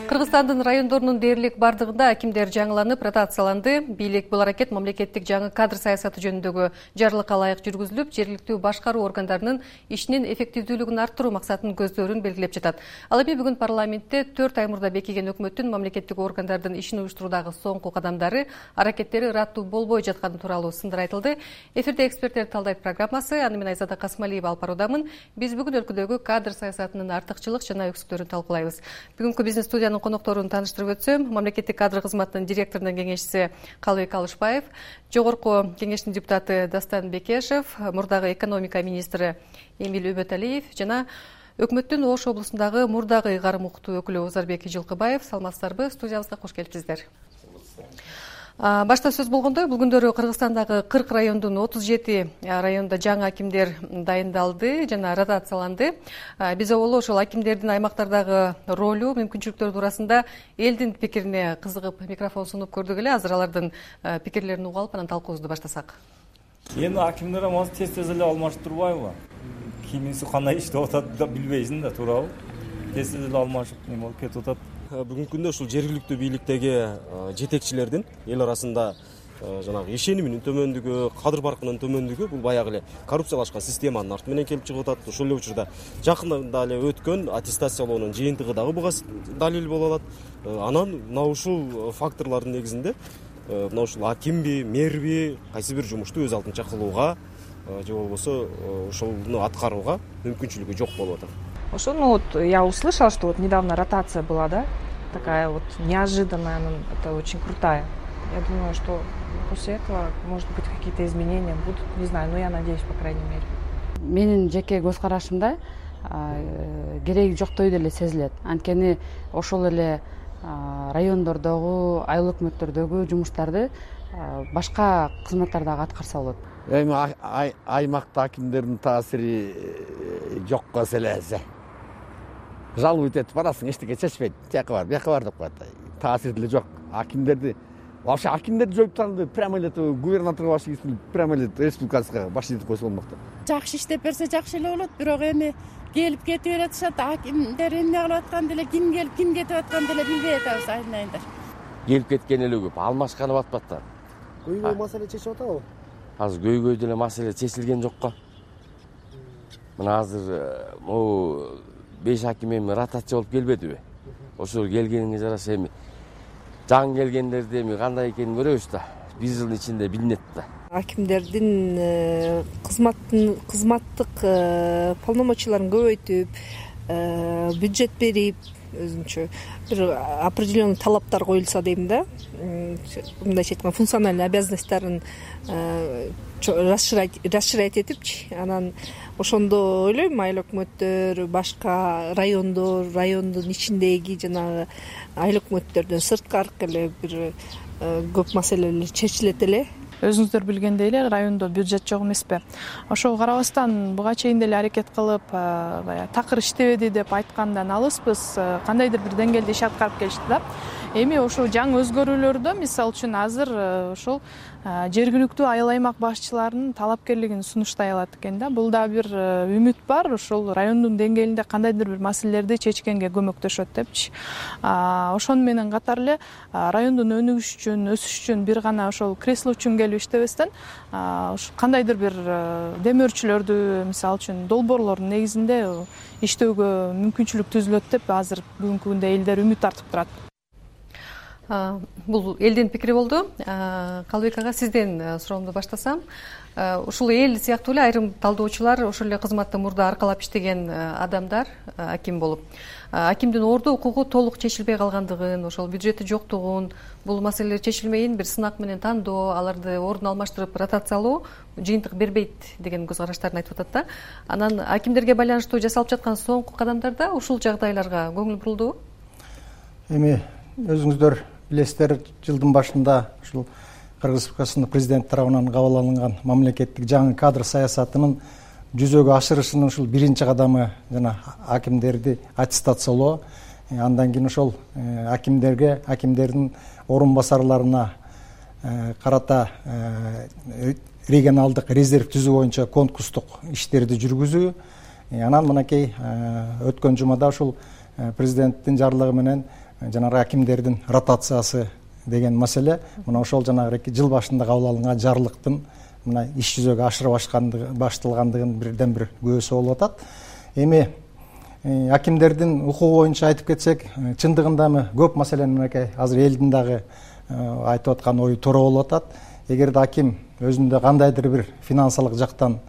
Кыргызстандын райондорунун дээрлик бардыгында акимдер жаңыланып, ротацияланды. Бийлик бул аракет мамлекеттик жаңы кадр саясаты жөнүндөгү жарлыкка ылайык жүргүзүлүп, жергиликтүү башкаруу органдарынын ишинин эффективдүүлүгүн арттыруу максатын көздөрүн белгилеп жатат. Ал эми бүгүн парламентте 4 ай мурда бекиген өкмөттүн мамлекеттик органдардын ишин уюштуруудагы соңку кадамдары, аракеттери ыраттуу болбой жатканы тууралуу сындар айтылды. Эфирде эксперттер талдайт программасы. Аны мен Айзада Касмалиева алып баруудамын. Биз бүгүн өлкөдөгү кадр саясатынын артыкчылык жана өксүктөрүн талкуулайбыз. Бүгүнкү бизнес студиянын конокторун тааныштырып өтсөм, мамлекеттик кадр кызматынын директорунун кеңешчиси Калыбек Алышбаев, жогорку кеңештин депутаты Дастан Бекешев, мурдагы экономика министри Эмил Үбөталиев жана өкмөттүн Ош облусундагы мурдагы ыйгарым укуктуу өкүлү Озарбек Жылкыбаев. Саламатсыздарбы? Студиябызга кош келипсиздер. Башта сөз болгондой, бул күндөрү Кыргызстандагы 40 райондун 37 районунда жаңы акимдер дайындалды жана ротацияланды. Биз оболу ошол акимдердин аймактардагы ролу, мүмкүнчүлүктөрү туурасында элдин пикирине кызыгып микрофон сунуп көрдүк эле. Азыр алардын пикирлерин угуп алып, анан талкуубузду баштасак. Эми акимдер тез эле алмаштырбайбы? Кимиси кандай иштеп атат да билбейсиң да, туурабы? Тез эле алмашып болуп кетип атат. Бүгүнкү күндө ушул жергиликтүү бийликтеги жетекчилердин эл арасында жанагы ишениминин төмөндүгү, кадыр баркынын төмөндүгү бул баягы эле коррупциялашкан системанын арты менен келип чыгып атат. Ошол эле учурда жакында эле өткөн аттестациялоонун жыйынтыгы дагы буга далил боло алат. Анан мына ушул факторлордун негизинде мына ушул акимби, мэрби кайсы бир жумушту өз алдынча кылууга же болбосо ошону аткарууга мүмкүнчүлүгү жок болуп атат. Ошону я услышала, что недавно ротация была, да, такая неожиданная, это очень крутая. Я думаю, что после этого, может быть, какие-то изменения будут, не знаю, но я надеюсь, по крайней мере. Менин жеке көз карашымда кереги жоктой деле сезилет. Анткени ошол эле райондордогу, айыл өкмөттөрдөгү жумуштарды башка кызматтар дагы аткарса болот. Эми аймакта акимдердин таасири жокко селесе. Жалобы этип барасың, эчтеке чечпейт. Тияка бар, бияка бар деп коет. Таасир деле жок. Акимдерди вообще акимдерди жоюп тастады, прямо эле губернаторго баш ийип, прямо эле республикага баш ийип койсо болмок да. Жакшы иштеп берсе жакшы эле болот, бирок эми келип кетип бератышат. Акимдер эмне кылып аткан деле, ким келип ким кетип аткан деле билбей атабыз, айнайындар. Келип кеткен эле көп, алмашканып атпаттар. Көйгөй маселе чечип атабы? Азыр көйгөй деле маселе чечилген жокко. Мына азыр могу 5 аким эми ротация болуп келбедиби? Ошол келгениңе жараша эми жаңы келгендерди эми кандай экенин көрөбүз да. 1 жылдын ичинде билинет да. Акимдердин кызматтык полномочияларын көбөйтүп, бюджет берип, өзүнчө бир определенный талаптар коюлса дейм да. Мындайча айтканда функциональный обязанностьтарын расширять этипчи, анан ошондо ойлойм айыл өкмөттөр, башка райондун ичиндеги жанагы айыл өкмөттөрдөн сырткары эле бир көп маселелер чечилет эле. Өзүңүздөр билгендей эле райондо бюджет жок эмеспи. Ошого карабастан буга чейин деле аракет кылып, такыр иштебеди деп айткандан алыспыз. Кандайдыр бир деңгээлде иш аткарып келишти да. Эми ошол жаңы өзгөрүүлөрдө мисалы үчүн азыр ошол жергиликтүү айыл аймак башчыларынын талапкерлигин сунуштай алат экен да. Бул да бир үмүт бар, ошол райондун деңгээлинде кандайдыр бир маселелерди чечкенге көмөктөшөт депчи. Ошону менен катар эле райондун өнүгүш үчүн, өсүш үчүн бир гана ошол кресло үчүн келип иштебестен, кандайдыр бир демөөрчүлөрдү, мисалы үчүн долбоорлордун негизинде иштөөгө мүмкүнчүлүк түзүлөт деп азыр бүгүнкү күндө элдер үмүт артып турат. Бул элдин пикири болду. Калыбек ага, сизден суроомду баштасам. Ушул эл сыяктуу эле айрым талдоочулар ошол эле кызматты мурда аркалап иштеген адамдар аким болуп, акимдин ордо укугу толук чечилбей калгандыгын, ошол бюджети жоктугун, бул маселелер чечилмейин бир сынак менен тандоо, аларды ордун алмаштырып ротациялоо жыйынтык бербейт деген көз караштарын айтып атат да. Анан акимдерге байланыштуу жасалып жаткан соңку кадамдарда ушул жагдайларга көңүл бурулдубу? Эми өзүңүздөр билесиздер, жылдын башында ушул Кыргыз Республикасынын президент тарабынан кабыл алынган мамлекеттик жаңы кадр саясатынын жүзөгө ашырышынын ушул биринчи кадамы жана акимдерди аттестациялоо. Андан кийин ошол акимдердин орун басарларына карата регионалдык резерв түзүү боюнча конкурстук иштерди жүргүзүү. Анан мынакей өткөн жумада ушул президенттин жарлыгы менен жанагы акимдердин ротациясы деген маселе мына ошол жанагы жыл башында кабыл алынган жарлыктын мына иш жүзөгө ашырып башталгандыгын бирден бир күбөсү болуп атат. Эми акимдердин укугу боюнча айтып кетсек, чындыгында көп маселени мынакей азыр элдин дагы айтып аткан ою туура болуп атат. Эгерде аким өзүндө кандайдыр бир финансылык жактан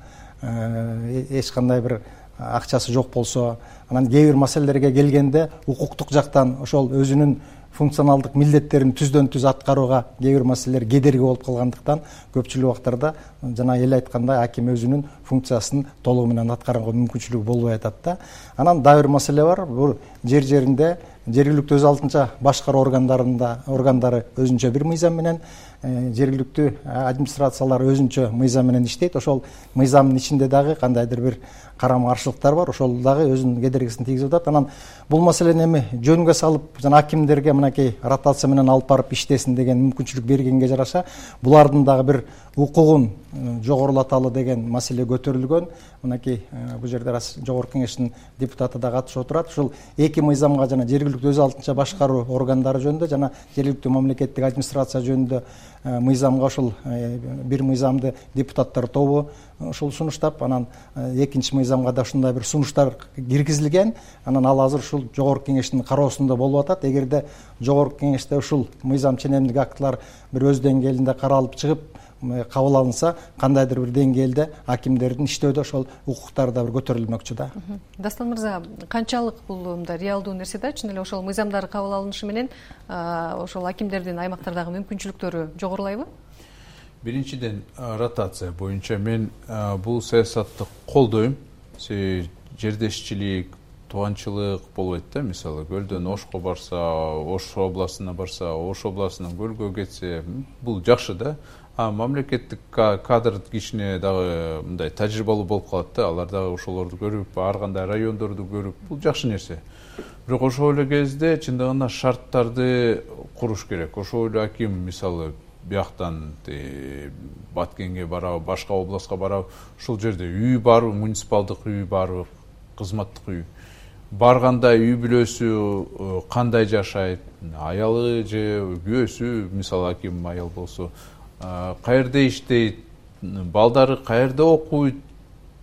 эч кандай бир акчасы жок болсо, анан кээ бир маселелерге келгенде укуктук жактан ошол өзүнүн функционалдык милдеттерин түздөн түз аткарууга кээ бир маселелер кедерги болуп калгандыктан көпчүлүк убактарда жана эл айткандай аким өзүнүн функциясын толугу менен аткарганга мүмкүнчүлүгү болбой атат да. Анан дагы бир маселе бар. Бул жеринде жергиликтүү өз алдынча башкаруу органдары өзүнчө бир мыйзам менен, жергиликтүү администрациялар өзүнчө мыйзам менен иштейт. Ошол мыйзамдын ичинде дагы кандайдыр бир карама каршылыктар бар. Ошол дагы өзүнүн кедергисин тийгизип атат. Анан бул маселени эми жөнгө салып, жана акимдерге мынакей ротация менен алып барып иштесин деген мүмкүнчүлүк бергенге жараша, булардын дагы бир укугун жогорулаталы деген маселе көтөрүлгөн. Мынакей бул жерде жогорку кеңештин депутаты да катышып отурат. Ушул эки мыйзамга, жана жергиликтүү өз алдынча башкаруу органдары жөнүндө жана жергиликтүү мамлекеттик администрация жөнүндө мыйзамга ушул бир мыйзамды депутаттар тобу ушул сунуштап, анан экинчи мыйзамга да ушундай бир сунуштар киргизилген. Анан ал азыр ушул жогорку кеңештин кароосунда болуп атат. Эгерде жогорку кеңеште ушул мыйзам ченемдик актылар бир өз деңгээлинде каралып чыгып кабыл алынса, кандайдыр бир деңгээлде акимдердин иштөөдө ошол укуктары да бир көтөрүлмөкчү да. Дастан мырза, канчалык бул реалдуу нерсе да? Чын эле ошол мыйзамдар кабыл алынышы менен ошол акимдердин аймактардагы мүмкүнчүлүктөрү жогорулайбы? Биринчиден, ротация боюнча мен бул саясатты колдойм. Жердешчилик, тууганчылык болбойт да. Мисалы, Көлдөн Ошко барса, Ош областына барса, Ош областынан Көлгө кетсе, бул жакшы да. Мамлекеттик кадр кичине дагы мындай тажрыйбалуу болуп калат да. Алар дагы ошолорду көрүп, ар кандай райондорду көрүп, бул жакшы нерсе. Бирок ошол эле кезде чындыгында шарттарды куруш керек. Ошол эле аким, мисалы, бияктан Баткенге барабы, башка областка барабы, ушул жерде үй барбы, муниципалдык үй барбы, кызматтык үй. Барганда үй бүлөсү кандай жашайт, аялы же күйөөсү, мисалы аким аял болсо, каерде иштейт, балдары каерде окуйт,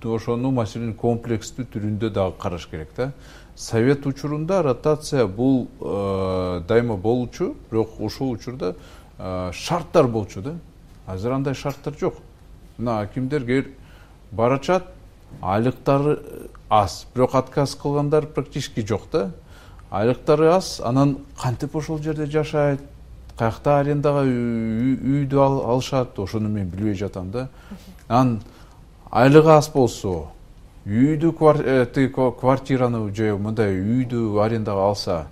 ошону маселени комплекстүү түрүндө дагы караш керек да. Совет учурунда ротация бул дайыма болчу, бирок ошол учурда шарттар болчу да. Азыр андай шарттар жок. Мына акимдер барачат, айлыктары аз, бирок отказ кылгандар практически жок да. Айлыктары аз, анан кантип ошол жерде жашайт, каякта арендага үйдү алышат, ошону мен билбей жатам да. Анан айлыгы аз болсо, үйдү квартираны же мындай үйдү арендага алса,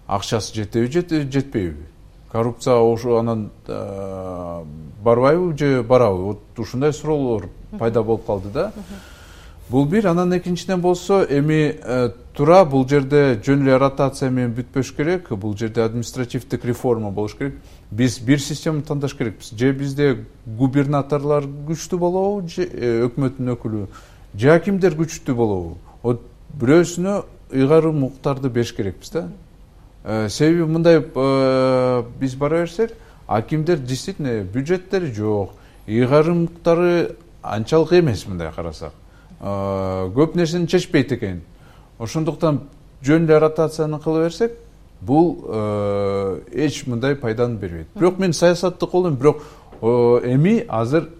акчасы жетеби, жетпейби? Коррупция ошо анан барбайбы же барабы? Вот ушундай суроолор пайда болуп калды да. Бул бир, анан экинчиден болсо, эми туура бул жерде жөн эле ротация менен бүтпөш керек, бул жерде административдик реформа болуш керек. Биз бир система тандаш керекпиз. Же бизде губернаторлор күчтүү болобу, же өкмөттүн өкүлү, же акимдер күчтүү болобу? Вот бирөөсүнө ыйгарым укуктарды бериш керекпиз да. Себеби мындай биз бара берсек, акимдер действительно бюджеттери жок, ыйгарымдары анчалык эмес мындай карасак. Көп нерсени чечпейт экен. Ошондуктан жөн эле ротацияны кыла берсек, бул эч мындай пайданы бербейт. Бирок мен саясатты колдойм, бирок эми азыр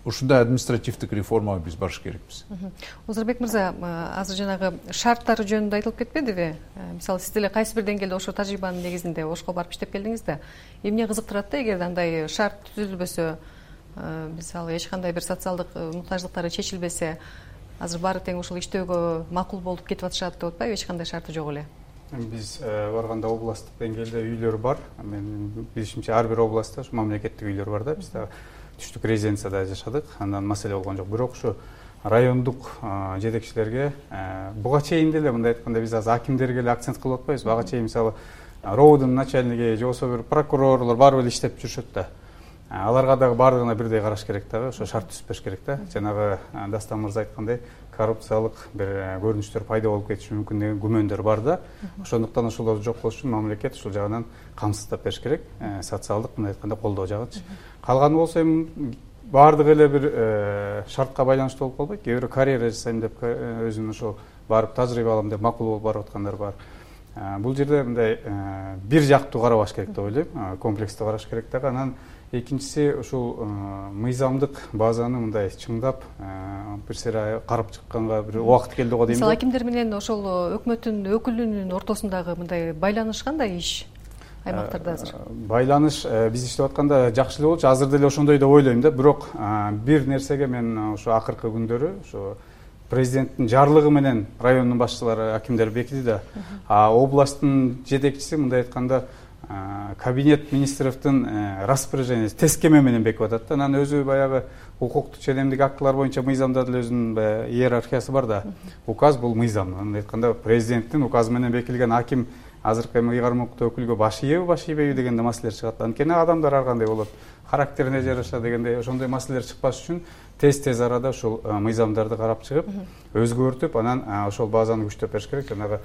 ушундай административдик реформага биз барыш керекпиз. Озурбек мырза, азыр жанагы шарттары жөнүндө айтылып кетпедиби? Мисалы, сиз деле кайсы бир деңгээлде ошо тажрыйбанын негизинде Ошко барып иштеп келдиңиз да. Эмне кызыктырат да, эгерде андай шарт түзүлбөсө, мисалы, эч кандай бир социалдык муктаждыктары чечилбесе, азыр баары тең ушул иштөөгө макул болуп кетип атышат деп атпайбы, эч кандай шарты жок эле? Биз барганда областтык деңгээлде үйлөр бар. Мен билишимче ар бир областта ушу мамлекеттик үйлөр бар да. Биз да түштүк резиденцияда жашадык, андан маселе болгон жок. Бирок ушу райондук жетекчилерге буга чейин деле мындай айтканда биз азыр акимдерге эле акцент кылып атпайбыз. Буга чейин мисалы РОУдун начальниги же болбосо бир прокурорлор баары эле иштеп жүрүшөт да. Аларга дагы баардыгына бирдей караш керек дагы, ошо шарт түзүп бериш керек да. Жанагы Дастан мырза айткандай, коррупциялык бир көрүнүштөр пайда болуп кетиши мүмкүн деген күмөндөр бар да. Ошондуктан ошолорду жоккош үчүн мамлекет ушул жагынан камсыздап бериш керек. Социалдык мындай айтканда колдоо жагынчы. Калганы болсо эми баардыгы эле бир шартка байланыштуу болуп калбайт. Кээ бирөө карьера жасайм деп өзүнүн ошол барып тажрыйба алам деп макул болуп барып аткандар бар. Бул жерде мындай бир жактуу карабаш керек деп ойлойм. Комплекстүү караш керек дагы. Анан экинчиси ушул мыйзамдык базаны мындай чыңдап бир сере карап чыкканга бир убакыт келди го дейм. Мисалы акимдер менен ошол өкмөттүн өкүлүнүн ортосундагы мындай байланыш кандай иш аймактарда азыр? Байланыш биз иштеп атканда жакшы эле болчу. Азыр деле ошондой деп ойлойм да. Бирок бир нерсеге мен ошо акыркы күндөрү ошо президенттин жарлыгы менен райондун башчылары акимдер бекиди да. Областтын жетекчиси мындай айтканда кабинет министровдун распоряженияси тескеме менен бекип атат да. Анан өзү баягы укуктук ченемдик актылар боюнча мыйзамда деле өзүнүн иерархиясы бар да. Указ бул мыйзам. Андай айтканда президенттин указы менен бекилген аким азыркы эми ыйгарым укуктуу өкүлгө баш ийеби, баш ийбейби дегенде маселелер чыгат. Анткени адамдар ар кандай болот, характерине жараша дегендей ошондой маселелер чыкпаш үчүн тез арада ушул мыйзамдарды карап чыгып, өзгөртүп, анан ошол базаны күчтөп бериш керек. Жанагы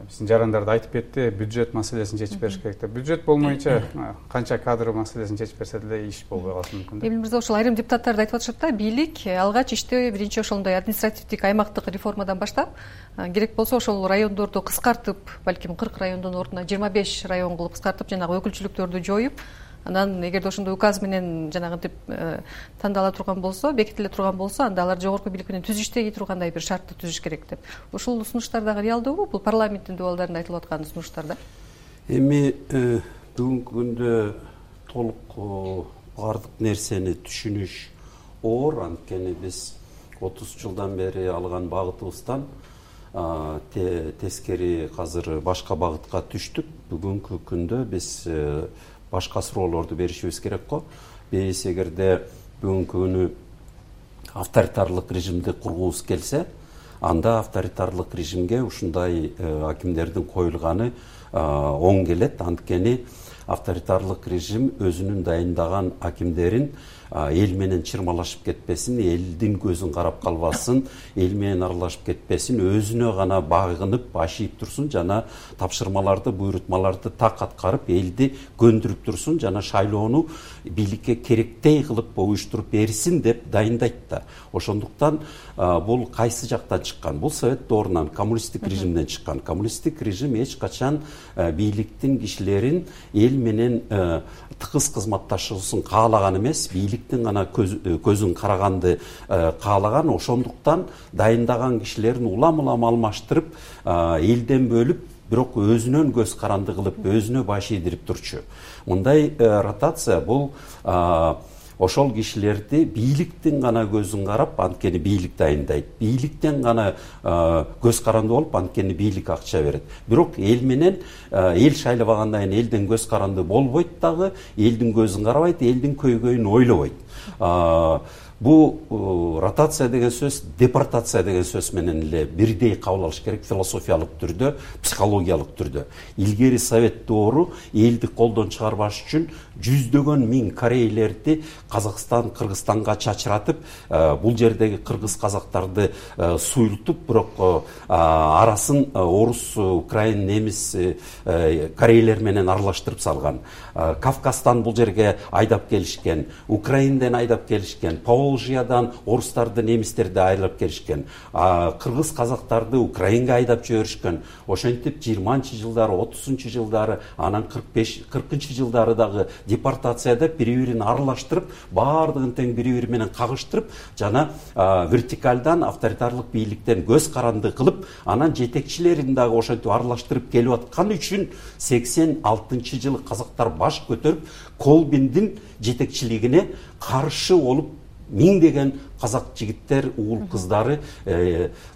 биздин жарандарды айтып кетти, бюджет маселесин чечип бериш керек деп. Бюджет болмойнча канча кадр маселесин чечип берсе деле иш болбой калышы мүмкүн. Эмил мырза, ошол айрым депутаттар да айтып атышат да, бийлик алгач ишти биринчи ошондой административдик аймактык реформадан баштап, керек болсо ошол райондорду кыскартып, балким 40 райондун ордуна 25 район кылып кыскартып, жанагы өкүлчүлүктөрдү жоюп, анан эгерде ошондой указ менен жанагынтип тандала турган болсо, бекитиле турган болсо, анда алар жогорку бийлик менен түзүштөй тургандай бир шартты түзүш керек деп. Ушул сунуштар дагы реалдуубу? Бул парламенттин дубалдарында айтылып аткан сунуштар да? Эми бүгүнкү күндө толук баардык нерсени түшүнүш оор, анткени биз 30 жылдан бери алган багытыбыздан тескери азыр башка багытка түштүк. Бүгүнкү күндө биз башка суроолорду беришибиз керек го. Биз эгерде бүгүнкү күнү авторитарлык режимди кургубуз келсе, анда авторитарлык режимге ушундай акимдердин коюлганы оң келет. Анткени авторитарлык режим өзүнүн дайындаган акимдерин эл менен чырмалашып кетпесин, элдин көзүн карап калбасын, эл менен аралашып кетпесин, өзүнө гана багынып, баш ийип турсун, жана тапшырмаларды, буйрутмаларды так аткарып, элди көндүрүп турсун, жана шайлоону бийликке керектей кылып уюштуруп берсин деп дайындайт да. Ошондуктан бул кайсы жактан чыккан? Бул совет доорунан, коммунисттик режимден чыккан. Коммунисттик режим эч качан бийликтин кишилерин эл менен тыгыз кызматташуусун каалаган эмес, бийликтин гана көзүн караганды каалаган. Ошондуктан дайындаган кишилерин улам алмаштырып, элден бөлүп, бирок өзүнөн көз каранды кылып, өзүнө баш ийдирип турчу. Мындай ротация бул ошол кишилерди бийликтин гана көзүн карап, анткени бийлик дайындайт. Бийликтен гана көз каранды болуп, анткени бийлик акча берет. Бирок эл менен эл шайлабагандан кийин элден көз каранды болбойт дагы, элдин көзүн карабайт, элдин көйгөйүн ойлобойт. Бул ротация деген сөз, депортация деген сөз менен эле бирдей кабыл алыш керек, философиялык түрдө, психологиялык түрдө. Илгери совет доору элди колдон чыгарбаш үчүн жүздөгөн миң корейлерди Казакстан, Кыргызстанга чачыратып, бул жердеги кыргыз казактарды суйлтуп, бирок арасын орус, украин, немис, корейлер менен аралаштырып салган. Кавказдан бул жерге айдап келишкен, Украинден айдап келишкен, Поволжьядан орустарды, немистерди айдап келишкен, кыргыз казактарды Украинге айдап жиберишкен. Ошентип 20-чы жылдары, 30-чы жылдары, анан 40-чы жылдары дагы депортацияда бири-бирин аралаштырып, баардыгын тең бири-бири менен кагыштырып, жана вертикалдан, авторитарлык бийликтен көз каранды кылып, анан жетекчилерин дагы ошентип аралаштырып келип аткан үчүн 86-чы жылы казактар баш көтөрүп, Колбиндин жетекчилигине каршы болуп, миңдеген казак жигиттер, уул кыздары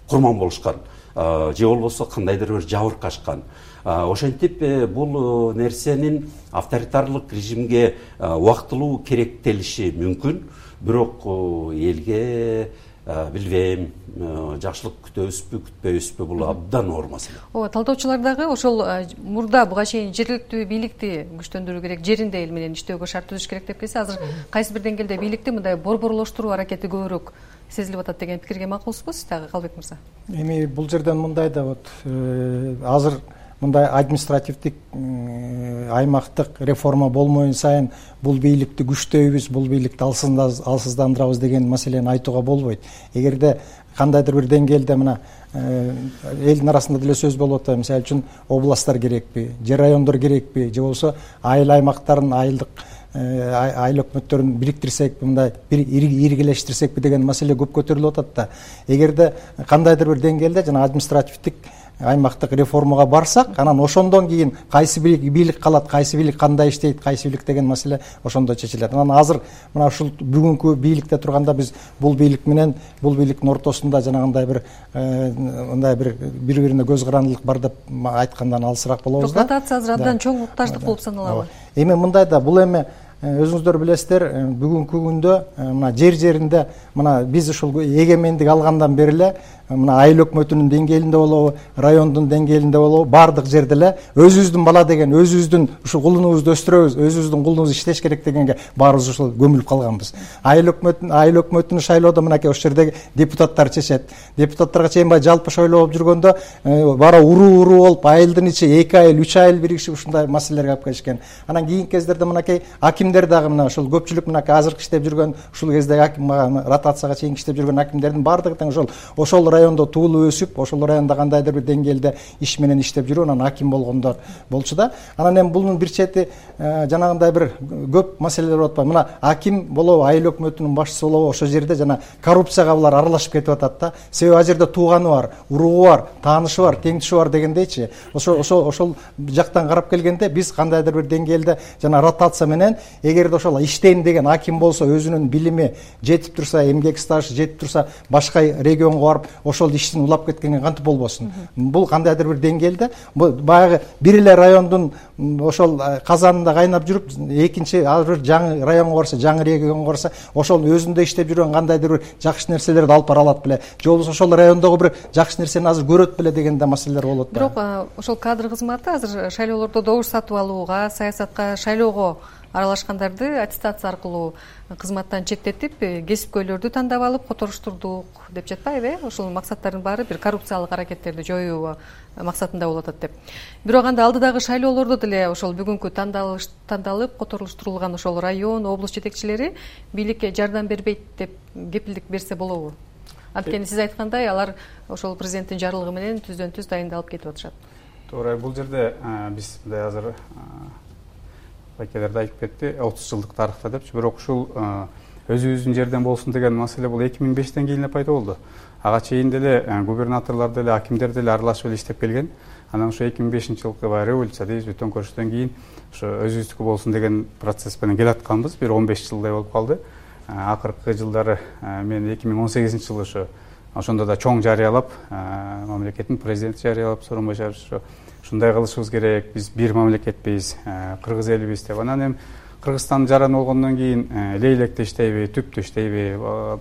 курман болушкан. Же болбосо кандайдыр бир жабыркашкан. Ошентип бул нерсенин авторитарлык режимге убактылуу керектелиши мүмкүн, бирок элге билбейм, жакшылык күтөбүзбү, күтпөйбүзбү, бул абдан оор маселе. Талдоочулар дагы ошол мурда буга чейин жергиликтүү бийликти күчтөндүрүү керек, жеринде эл менен иштөөгө шарт түзүш керек деп келсе, азыр кайсы бир деңгээлде бийликти мындай борборлоштуруу аракети көбүрөөк сезилип атат деген пикирге макулсузбу сиз дагы, Калбек мырза? Эми бул жерден мындай да вот азыр мындай административдик аймактык реформа болмоюн сайын бул бийликти күчтөйбүз, бул бийликти алсыздандырабыз деген маселени айтууга болбойт. Эгерде кандайдыр бир деңгээлде мына элдин арасында деле сөз болуп атат, мисалы үчүн областтар керекпи, же райондор керекпи, же болбосо айыл аймактарын, айыл өкмөттөрүн бириктирсекпи, мындай бир иргилештирсекпи деген маселе көп көтөрүлүп атат да. Эгерде кандайдыр бир деңгээлде жана административдик аймактык реформага барсак, анан ошондон кийин кайсы бийлик калат, кайсы бийлик кандай иштейт, кайсы бийлик деген маселе ошондо чечилет. Анан азыр мына ушул бүгүнкү бийликте турганда биз бул бийлик менен бул бийликтин ортосунда жанагындай бир мындай бири-бирине көз карандылык бар деп айткандан алысыраак болобуз да. Ротация азыр абдан чоң муктаждык болуп саналабы? Эми мындай да, бул эми өзүңүздөр билесиздер, бүгүнкү күндө мына жер-жеринде мына биз ушул эгемендик алгандан бери эле мына айыл өкмөтүнүн деңгээлинде болобу, райондун деңгээлинде болобу, баардык жерде эле өзүбүздүн бала деген, өзүбүздүн ушул кулунубузду өстүрөбүз, өзүбүздүн кулунубуз иштеш керек дегенге баарыбыз ушул көмүлүп калганбыз. Айыл өкмөтүн шайлоодо мынакей ошол жердеги депутаттар чечет. Депутаттарга чейин баягы жалпы шайлоо болуп жүргөндө бара уруу болуп, айылдын ичи 2 айыл, 3 айыл биригишип ушундай маселелерге алып келишкен. Анан кийинки кездерде мынакей акимдер дагы мына ушул көпчүлүк мынакей азыркы иштеп жүргөн, ушул кездеги аким ротацияга чейин иштеп жүргөн акимдердин баардыгы тең ошол райондо туулуп өсүп, ошол районда кандайдыр бир деңгээлде иш менен иштеп жүрүп, анан аким болгондор болчу да. Анан эми бунун бир чети жанагындай бир көп маселелер болуп атпайбы? Мына аким болобу, айыл өкмөтүнүн башчысы болобу, ошол жерде жана коррупцияга булар аралашып кетип атат да. Себеби ал жерде тууганы бар, уругу бар, таанышы бар, теңдиши бар дегендейчи. Ошол жактан карап келгенде биз кандайдыр бир деңгээлде жана ротация менен эгерде ошол иштейм деген аким болсо, өзүнүн билими жетип турса, эмгек стажы жетип турса, башка регионго барып ошол иштин улап кеткенге кантип болбосун? Бул кандайдыр бир деңгээлде баягы бир эле райондун ошол казанында кайнап жүрүп, экинчи ар бир жаңы районго барса, жаңы регионго барса, ошол өзүндө иштеп жүргөн кандайдыр бир жакшы нерселерди алып бара алат беле, же болбосо ошол райондогу бир жакшы нерсени азыр көрөт беле деген да маселелер болот да. Бирок ошол кадр кызматы азыр шайлоолордо добуш сатып алууга, саясатка, шайлоого аралашкандарды аттестация аркылуу кызматтан четтетип, кесипкөйлөрдү тандап алып которуштурдук деп жатпайбы? Ошол максаттардын баары бир коррупциялык аракеттерди жоюу максатында болуп атат деп. Бирок анда алдыдагы шайлоолордо деле ошол бүгүнкү тандалып которуштурулган ошол район, облус жетекчилери бийликке жардам бербейт деп кепилдик берсе болобу? Анткени сиз айткандай, алар ошол президенттин жарлыгы менен түздөн-түз дайындалып кетип атышат. Туура, бул жерде биз мындай азыр байкелерде айтып кетти, 30 жылдык тарыхта депчи, бирок ушул өзүбүздүн жерден болсун деген маселе бул 2005-тен кийин эле пайда болду. Ага чейин деле губернаторлор деле, акимдер деле аралашып эле иштеп келген. Анан ошо 2005-жылкы баягы революция дейбизби, төңкөрүштөн кийин ошо өзүбүздүкү болсун деген процесс менен келатканбыз. Бир 15 жылдай болуп калды. Акыркы жылдары мен 2018-жылы ошондо да чоң жарыялап, мамлекеттин президенти жарыялап, Сооронбай Жээнбеков ушундай кылышыбыз керек, биз бир мамлекетпиз, кыргыз элибиз деп. Анан эми Кыргызстан жаран болгондон кийин лейлекте иштейби, түптө иштейби,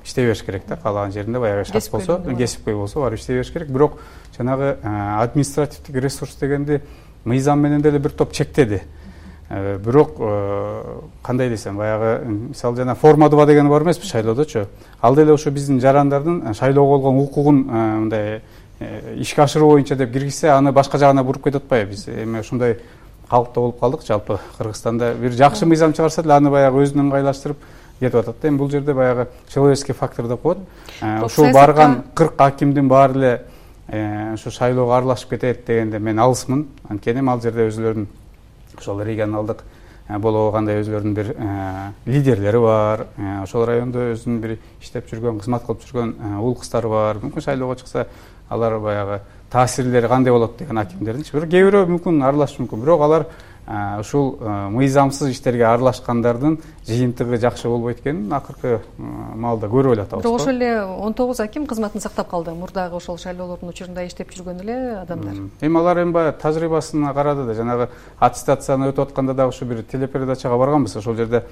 иштей бериш керек да. Каалаган жеринде баягы шарт болсо, кесипкөй болсо барып иштей бериш керек. Бирок жанагы административдик ресурс дегенди мыйзам менен деле бир топ чектеди. Бирок кандай десем, баягы мисалы жана формадыба деген бар эмеспи шайлоодочу. Ал деле ошо биздин жарандардын шайлоого болгон укугун мындай ишке ашыруу боюнча деп киргизсе, аны башка жагына буруп кетип атпайбы. Биз эми ушундай калыпта болуп калдык. Жалпы Кыргызстанда бир жакшы мыйзам чыгарса деле аны баягы өзүнө ыңгайлаштырып кетип атат да. Эми бул жерде баягы человеческий фактор деп коет. Ушул барган 40 акимдин баары эле ушу шайлоого аралашып кетет дегенде мен алысмын. Анткени ал жерде өзүлөрүнүн ошол регионалдык болобу кандай өзүлөрүнүн бир лидерлери бар. Ошол райондо өзүнүн бир иштеп жүргөн, кызмат кылып жүргөн уул кыздары бар. Мүмкүн шайлоого чыкса алар баягы таасирлери кандай болот деген акимдердинчи. Бирок кээ бирөө мүмкүн аралашышы мүмкүн. Бирок алар ушул мыйзамсыз иштерге аралашкандардын жыйынтыгы жакшы болбойт экенин акыркы маалда көрүп эле атабыз. Бирок ошол эле 19 аким кызматын сактап калды. Мурдагы ошол шайлоолордун учурунда иштеп жүргөн эле адамдар. Эми алар эми баягы тажрыйбасына карады да, жанагы аттестацияны өтүп атканда да ушу бир телепередачага барганбыз. Ошол жерде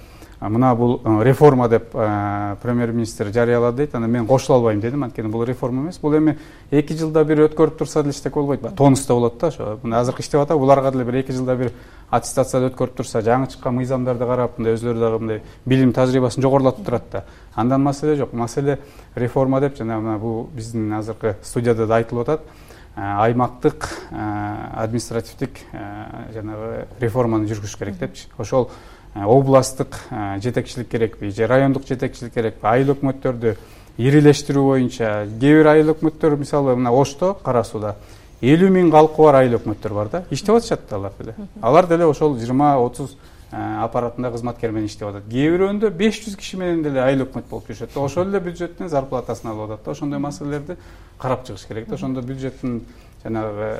мына бул реформа деп премьер-министр жарыялады дейт. Анан мен кошула албайм дедим, анткени бул реформа эмес. Бул эми 2 жылда бир өткөрүп турса деле эчтеке болбойт. Тонуста болот да, ошо. Мына азыркы иштеп атат, буларга деле бир 2 жылда бир аттестацияда өткөрүп турса, жаңы чыккан мыйзамдарды карап, мындай өзлөрү дагы мындай билим тажрыйбасын жогорулатып турат да. Андан маселе жок. Маселе реформа деп жана мына бул биздин азыркы студияда да айтылып атат. Аймактык административдик жанагы реформаны жүргүзүш керек депчи. Ошол областтык жетекчилик керекпи же райондук жетекчилик керекпи, айыл өкмөттөрдү ирилештирүү боюнча кээ бир айыл өкмөттөр мисалы мына Ошто, Кара Сууда 50 000 калкы бар айыл өкмөттөр бар да, иштеп атышат алар деле. Алар деле ошол 20-30 аппаратында кызматкер менен иштеп атат. Кээ бирөөндөй 500 киши менен деле айыл өкмөт болуп жүрүшөт. Ошол эле бюджеттен зарплатасын алып атат да. Ошондой маселелерди карап чыгыш керек да. Ошондо бюджеттин жанагы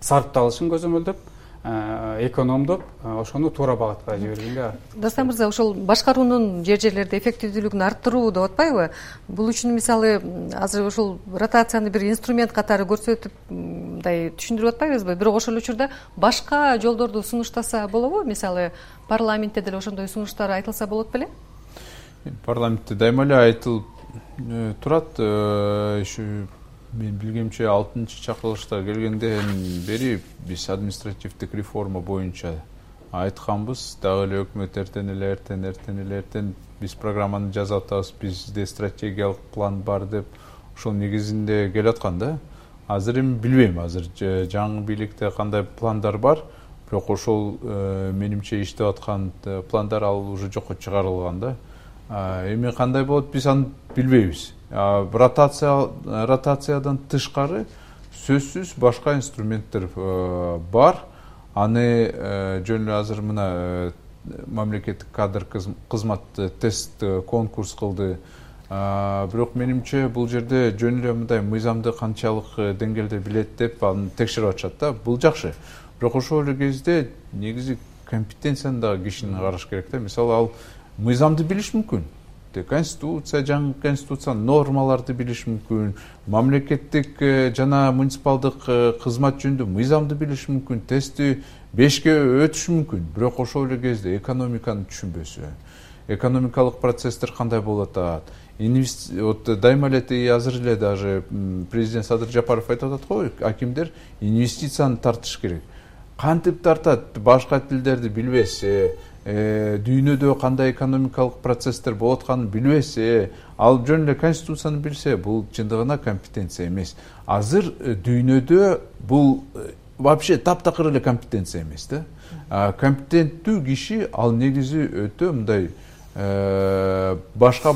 сарпталышын көзөмөлдөп, экономдоп, ошону туура багытка жибергенге. Дастан мырза, ошол башкаруунун жерлерде эффективдүүлүгүн арттыруу деп атпайбы? Бул үчүн мисалы азыр ошол ротацияны бир инструмент катары көрсөтүп, мындай түшүндүрүп атпайбызбы? Бирок ошол учурда башка жолдорду сунуштаса болобу? Мисалы парламентте деле ошондой сунуштар айтылса болот беле? Парламентте дайыма эле айтылып турат. Мен билгемче 6-чакырылышта келгенден бери биз административдик реформа боюнча айтканбыз. Дагы эле өкмөт эртен биз программаны жазып атабыз, бизде стратегиялык план бар деп ошол негизинде келаткан да. Азыр эми билбейм, азыр жаңы бийликте кандай пландар бар, бирок ошол менимче иштеп аткан пландар ал уже жокко чыгарылган да. Эми кандай болот биз аны билбейбиз. Ротациядан тышкары сөзсүз башка инструменттер бар. Аны жөн эле азыр мына мамлекеттик кадр кызмат тест конкурс кылды. Бирок менимче бул жерде жөн эле мындай мыйзамды канчалык деңгээлде билет деп аны текшерип атышат да. Бул жакшы. Бирок ошол эле кезде негизи компетенцияны дагы кишини караш керек да. Мисалы ал мыйзамды билиш мүмкүн. Конституция, жаңы конституциянын нормаларды билиш мүмкүн, мамлекеттик жана муниципалдык кызмат жөнүндө мыйзамды билиш мүмкүн, тестти 5-ке өтүш мүмкүн. Бирок ошол эле кезде экономиканы түшүнбөсө, экономикалык процесстер кандай болуп атат, дайыма эле азыр эле даже президент Садыр Жапаров айтып атат го, акимдер инвестицияны тартыш керек. Кантип тартат? Башка тилдерди билбесе, дүйнөдө кандай экономикалык процесстер болуп атканын билбесе, ал жөн эле конституцияны билсе, бул чындыгына компетенция эмес. Азыр дүйнөдө бул вообще таптакыр эле компетенция эмес да. Компетенттүү киши ал негизи өтө мындай башка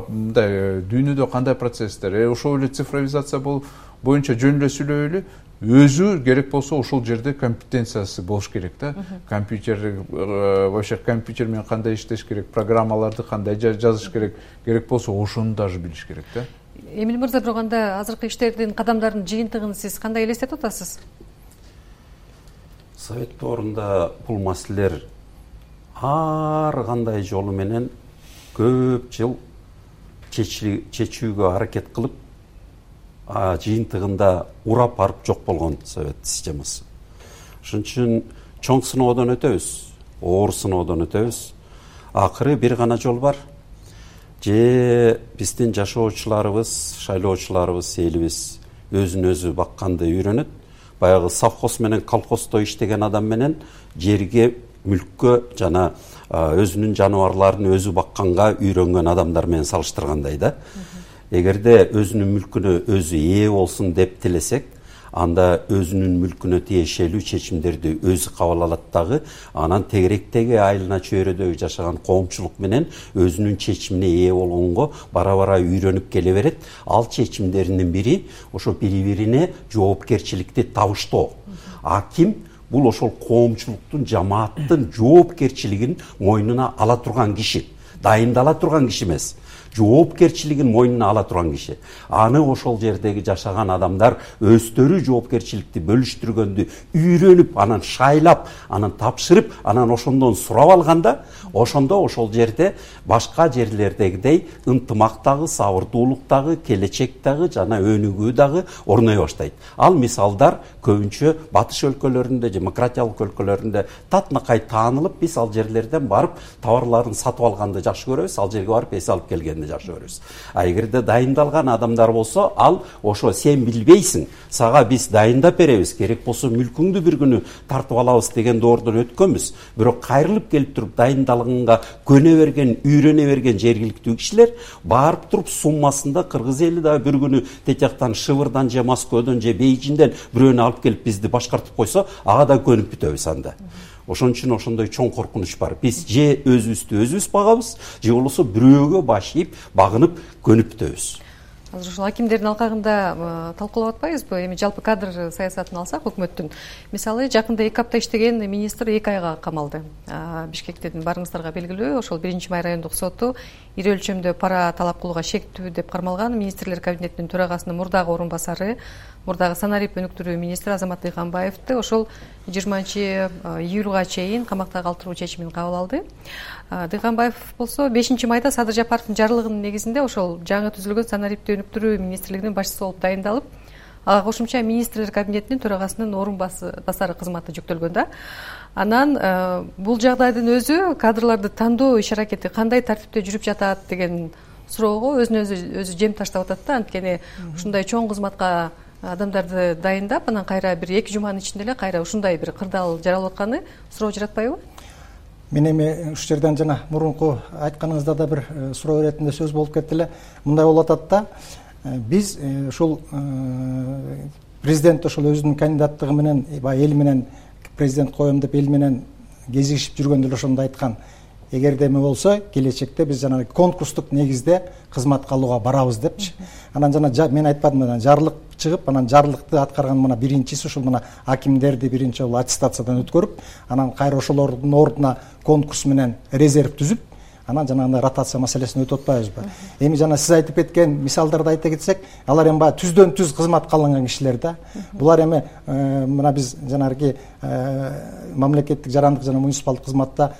мындай дүйнөдө кандай процесстер, ошол эле цифровизация боюнча жөн эле сүйлөбөйлү, өзү керек болсо ошол жерде компетенциясы болуш керек да. Вообще компьютер менен кандай иштеш керек, программаларды кандай жазыш керек болсо ошону даже билиш керек да. Эмил мырза, бирок анда азыркы иштердин кадамдарынын жыйынтыгын сиз кандай элестетип атасыз? Совет доорунда бул маселелер ар кандай жолу менен көп жыл чечүүгө аракет кылып, жыйынтыгында урап барып жок болгон совет системасы. Ошон үчүн чоң сыноодон өтөбүз, оор сыноодон өтөбүз. Акыры бир гана жол бар. Же биздин жашоочуларыбыз, шайлоочуларыбыз, элибиз өзүн өзү бакканды үйрөнөт. Баягы совхоз менен колхоздо иштеген адам менен жерге, мүлккө жана өзүнүн жаныбарларын өзү бакканга үйрөнгөн адамдар менен салыштыргандай да. Эгерде өзүнүн мүлкүнө өзү ээ болсун деп тилесек, анда өзүнүн мүлкүнө тиешелүү чечимдерди өзү кабыл алат дагы, анан тегеректеги айылына чөйрөдөгү жашаган коомчулук менен өзүнүн чечимине ээ болгонго бара-бара үйрөнүп келе берет. Ал чечимдеринин бири ошо бири-бирине жоопкерчиликти табыштоо. Аким бул ошол коомчулуктун, жамааттын жоопкерчилигин мойнуна ала турган киши. дайындала турган киши эмес, жоопкерчилигин мойнуна ала турган киши. Аны ошол жердеги жашаган адамдар өздөрү жоопкерчиликти бөлүштүргөндү үйрөнүп, анан шайлап, анан тапшырып, анан ошондон сурап алганда, ошондо ошол жерде башка жерлердегидей ынтымактагы, сабырдуулуктагы, келечектагы жана өнүгүү дагы орной баштайт. Ал мисалдар көбүнчө батыш өлкөлөрүндө, демократиялык өлкөлөрүндө татынакай таанылып, биз ал жерлерден барып товарларын сатып алганды жакшы көрөбүз, ал жерге барып эс алып келгенди жакшы көрөбүз. А эгерде дайындалган адамдар болсо, ал ошо сен билбейсиң, сага биз дайындап беребиз, керек болсо мүлкүңдү бир күнү тартып алабыз деген доордон өткөнбүз. Бирок кайрылып келип туруп дайындалганга көнө берген, үйрөнө берген жергиликтүү кишилер барып туруп суммасында кыргыз эли да бир күнү тет жактан Шыбырдан же Москвадан же Бейжиңден бирөөнү алып келип бизди башкартып койсо, ага да көнүп бүтөбүз анда. Ошон үчүн ошондой чоң коркунуч бар. Биз же өзүбүздү өзүбүз багабыз, же болбосо бирөөгө баш ийип, багынып көнүп бүтөбүз. Азыр ушул акимдердин алкагында талкуулап атпайбызбы? Эми жалпы кадр саясатын алсак, өкмөттүн мисалы жакында 2 апта иштеген министр 2 айга камалды. Бишкектен барыңыздарга белгилүү, ошол 1-май райондук соту ири өлчөмдө пара талап кылууга шектүү деп кармалган. Министрлер кабинетинин төрагасынын мурдагы орун басары, мурдагы санарип өнүктүрүү министри Азамат Дыйканбаевди ошол 20-июлга чейин камакта калтыруу чечимин кабыл алды. Дыйканбаев болсо 5-майда Садыр Жапаровдун жарлыгынын негизинде ошол жаңы түзүлгөн санарипти өнүктүрүү министрлигинин башчысы болуп дайындалып, ага кошумча министрлер кабинетинин төрагасынын орун басары кызматы жүктөлгөн да. Анан бул жагдайдын өзү кадрларды тандоо иш аракети кандай тартипте жүрүп жатат деген суроого өзүнө өзү жем таштап атат да. Анткени ушундай чоң кызматка адамдарды дайындап, анан кайра бир 2 жуманын ичинде эле кайра ушундай бир кырдаал жаралып атканы суроо жаратпайбы? Мен эми ушул жерден жана мурунку айтканыңызда да бир суроо иретинде сөз болуп кетти эле. Мындай болуп атат да. Биз ушул президент ошол өзүнүн кандидаттыгы менен баягы эл менен президент коем деп эл менен кезигишип жүргөндө эле ошондо айткан. Эгерде эме болсо, келечекте биз жана конкурстук негизде кызматка алууга барабыз депчи. Анан жана мен айтпадым, анан жарлык чыгып, анан жарлыкты аткарган мына биринчиси ушул мына акимдерди биринчи жолу аттестациядан өткөрүп, анан кайра ошолордун ордуна конкурс менен резерв түзүп, анан жанагындай ротация маселесин өтүп атпайбызбы? Эми жана сиз айтып кеткен мисалдарды айта кетсек, алар эми баягы түздөн түз кызматка алынган кишилер да. Булар эми мына биз жанагы мамлекеттик жарандык жана муниципалдык кызматта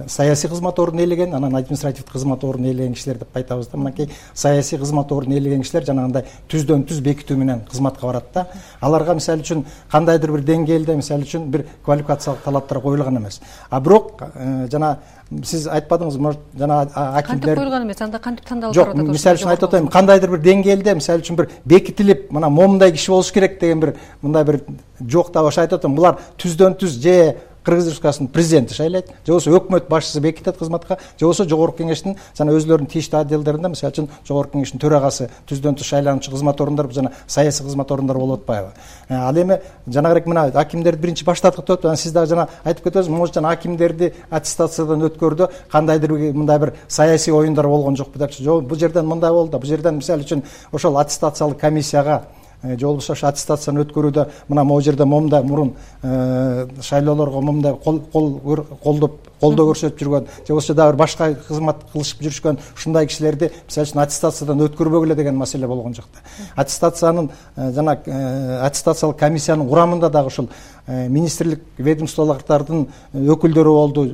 саясий кызмат ордун ээлеген, анан административдик кызмат ордун ээлеген кишилер деп айтабыз да. Мынакей саясий кызмат ордун ээлеген кишилер жанагындай түздөн түз бекитүү менен кызматка барат да. Аларга мисалы үчүн кандайдыр бир деңгээлде мисалы үчүн бир квалификациялык талаптар коюлган эмес. А бирок жана сиз айтпадыңыз, может жана акимдер кантип коюлган эмес, анда кантип тандалып барып атат? Жок, мисалы үчүн айтып атайын, кандайдыр бир деңгээлде мисалы үчүн бир бекитилип, мына момундай киши болуш керек деген бир мындай бир жок да. Ошо айтып атам, булар түздөн түз же Кыргыз Республикасынын президенти шайлайт, же болбосо өкмөт башчысы бекитет кызматка, же болбосо жогорку кеңештин жана өзлөрүнүн тийиштүү отделдеринде мисалы үчүн жогорку кеңештин төрагасы түздөн түз шайлануучу кызмат орундар жана саясий кызмат орундар болуп атпайбы? Ал эми жанагырээк мына акимдерди биринчи баштадык деп атат. Сиз дагы жана айтып кетесиз, может жана акимдерди аттестациядан өткөрдө кандайдыр мындай бир саясий оюндар болгон жокпу депчи. Жок, бул жерден мындай болду да. Бул жерден мисалы үчүн ошол аттестациялык комиссияга же болбосо ошо аттестацияны өткөрүүдө мына могу жерде момундай мурун шайлоолорго момундай колдоо көрсөтүп жүргөн, же болбосо дагы бир башка кызмат кылышып жүрүшкөн ушундай кишилерди мисалы үчүн аттестациядан өткөрбөгүлө деген маселе болгон жок да. Аттестациянын жана аттестациялык комиссиянын курамында дагы ушул министрлик ведомстволордун өкүлдөрү болду.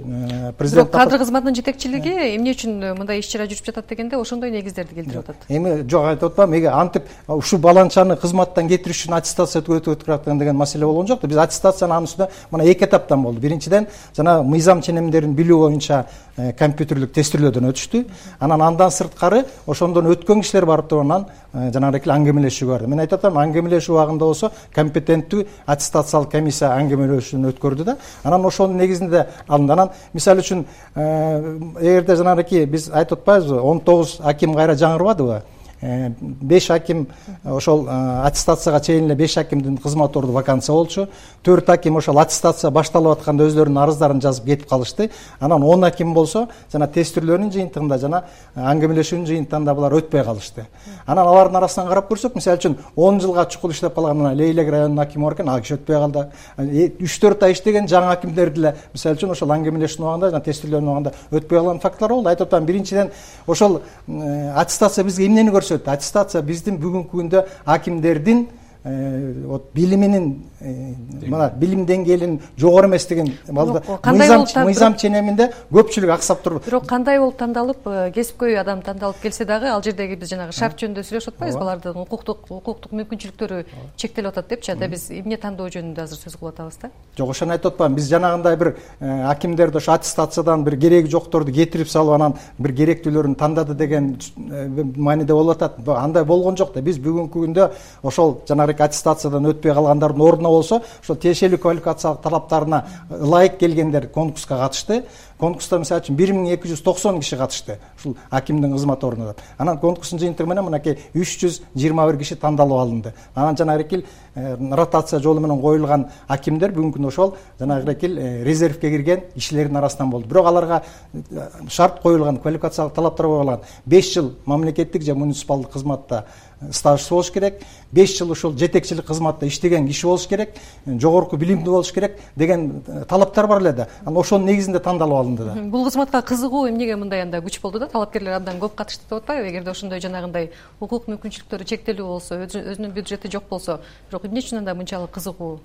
Президент кадр кызматынын жетекчилиги эмне үчүн мындай иш чара жүрүп жатат дегенде ошондой негиздерди келтирип атат. Эми жок, айтып атпаймынбы, эми антип ушул баланчаны кызматтан кетириш үчүн аттестация өтүп аткан деген маселе болгон жок да. Биз аттестацияны анын үстүнө мына 2 этаптан болду. Биринчиден жана мыйзам ченемдерин билүү боюнча компьютерлик тестирөөдөн өтүштү. Андан сырткары ошондон өткөн кишилер барып туруп анан жанагындай аңгемелешүүгө барды. Мен айтып атам, аңгемелешүү убагында болсо компетенттүү аттестациялык комиссия аңгемелешүүнү өткөрдү да. Анан ошонун негизинде алынды. Анан мисалы үчүн эгерде жанагындай биз айтып атпайбызбы, 19 аким кайра жаңырбадыбы? 5 аким ошол аттестацияга чейин эле 5 акимдин кызмат орду вакансия болчу. 4 аким ошол аттестация башталып атканда өздөрүнүн арыздарын жазып кетип калышты. Анан 10 аким болсо жана тест түрлөрүнүн жыйынтыгында жана аңгемелешүүнүн жыйынтыгында булар өтпөй калышты. Анан алардын арасынан карап көрсөк, мисалы үчүн 10 жылга чукул иштеп калган мына Лейлек районунун акими бар экен, ал киши өтпөй калды. 3-4 ай иштеген жаңы акимдер деле мисалы үчүн ошол аңгемелешүүнүн убагында жана тест түрлөрүнүн убагында өтпөй калган факторлор болду. Айтып атам, биринчиден ошол аттестация бизге эмнени көрсөттү? Аттестация биздин бүгүнкү күндө акимдердин билиминин мына билим деңгээлинин жогору эместигин мыйзам ченеминде көпчүлүк аксап турду. Бирок кандай болуп тандалып, кесипкөй адам тандалып келсе дагы, ал жердеги биз жанагы шарт жөнүндө сүйлөшүп атпайбызбы? Алардын укуктук мүмкүнчүлүктөрү чектелип атат депчи, анда биз эмне тандоо жөнүндө азыр сөз кылып атабыз да. Жок, ошону айтып атпаймын. Биз жанагындай бир акимдерди ошо аттестациядан бир кереги жокторду кетирип салып, анан бир керектүүлөрүн тандады деген мааниде болуп атат. Андай болгон жок да. Биз бүгүнкү күндө ошол жанагы аттестациядан өтпөй калгандардын ордуна болсо, ошол тиешелүү квалификациялык талаптарына ылайык келгендер конкурска катышты. Конкурста мисалы үчүн 1290 киши катышты ушул акимдин кызмат ордуна. Анан конкурстун жыйынтыгы менен мынакей 321 киши тандалып алынды. Анан жанагы ротация жолу менен коюлган акимдер бүгүнкү күндө ошол жанагы резервке кирген кишилердин арасынан болду. Бирок аларга шарт коюлган, квалификациялык талаптар коюлган. 5 жыл мамлекеттик же муниципалдык кызматта стажсы болуш керек, 5 жыл ушул жетекчилик кызматта иштеген киши болуш керек, жогорку билимдүү болуш керек деген талаптар бар эле да. Анан ошонун негизинде тандалып алынды да. Бул кызматка кызыгуу эмнеге мындай анда күч болду да? Талапкерлер абдан көп катышты деп атпайбы? Эгерде ошондой жанагындай укук мүмкүнчүлүктөрү чектелүү болсо, өзүнүн бюджети жок болсо, бирок эмне үчүн анда мынчалык кызыгуу?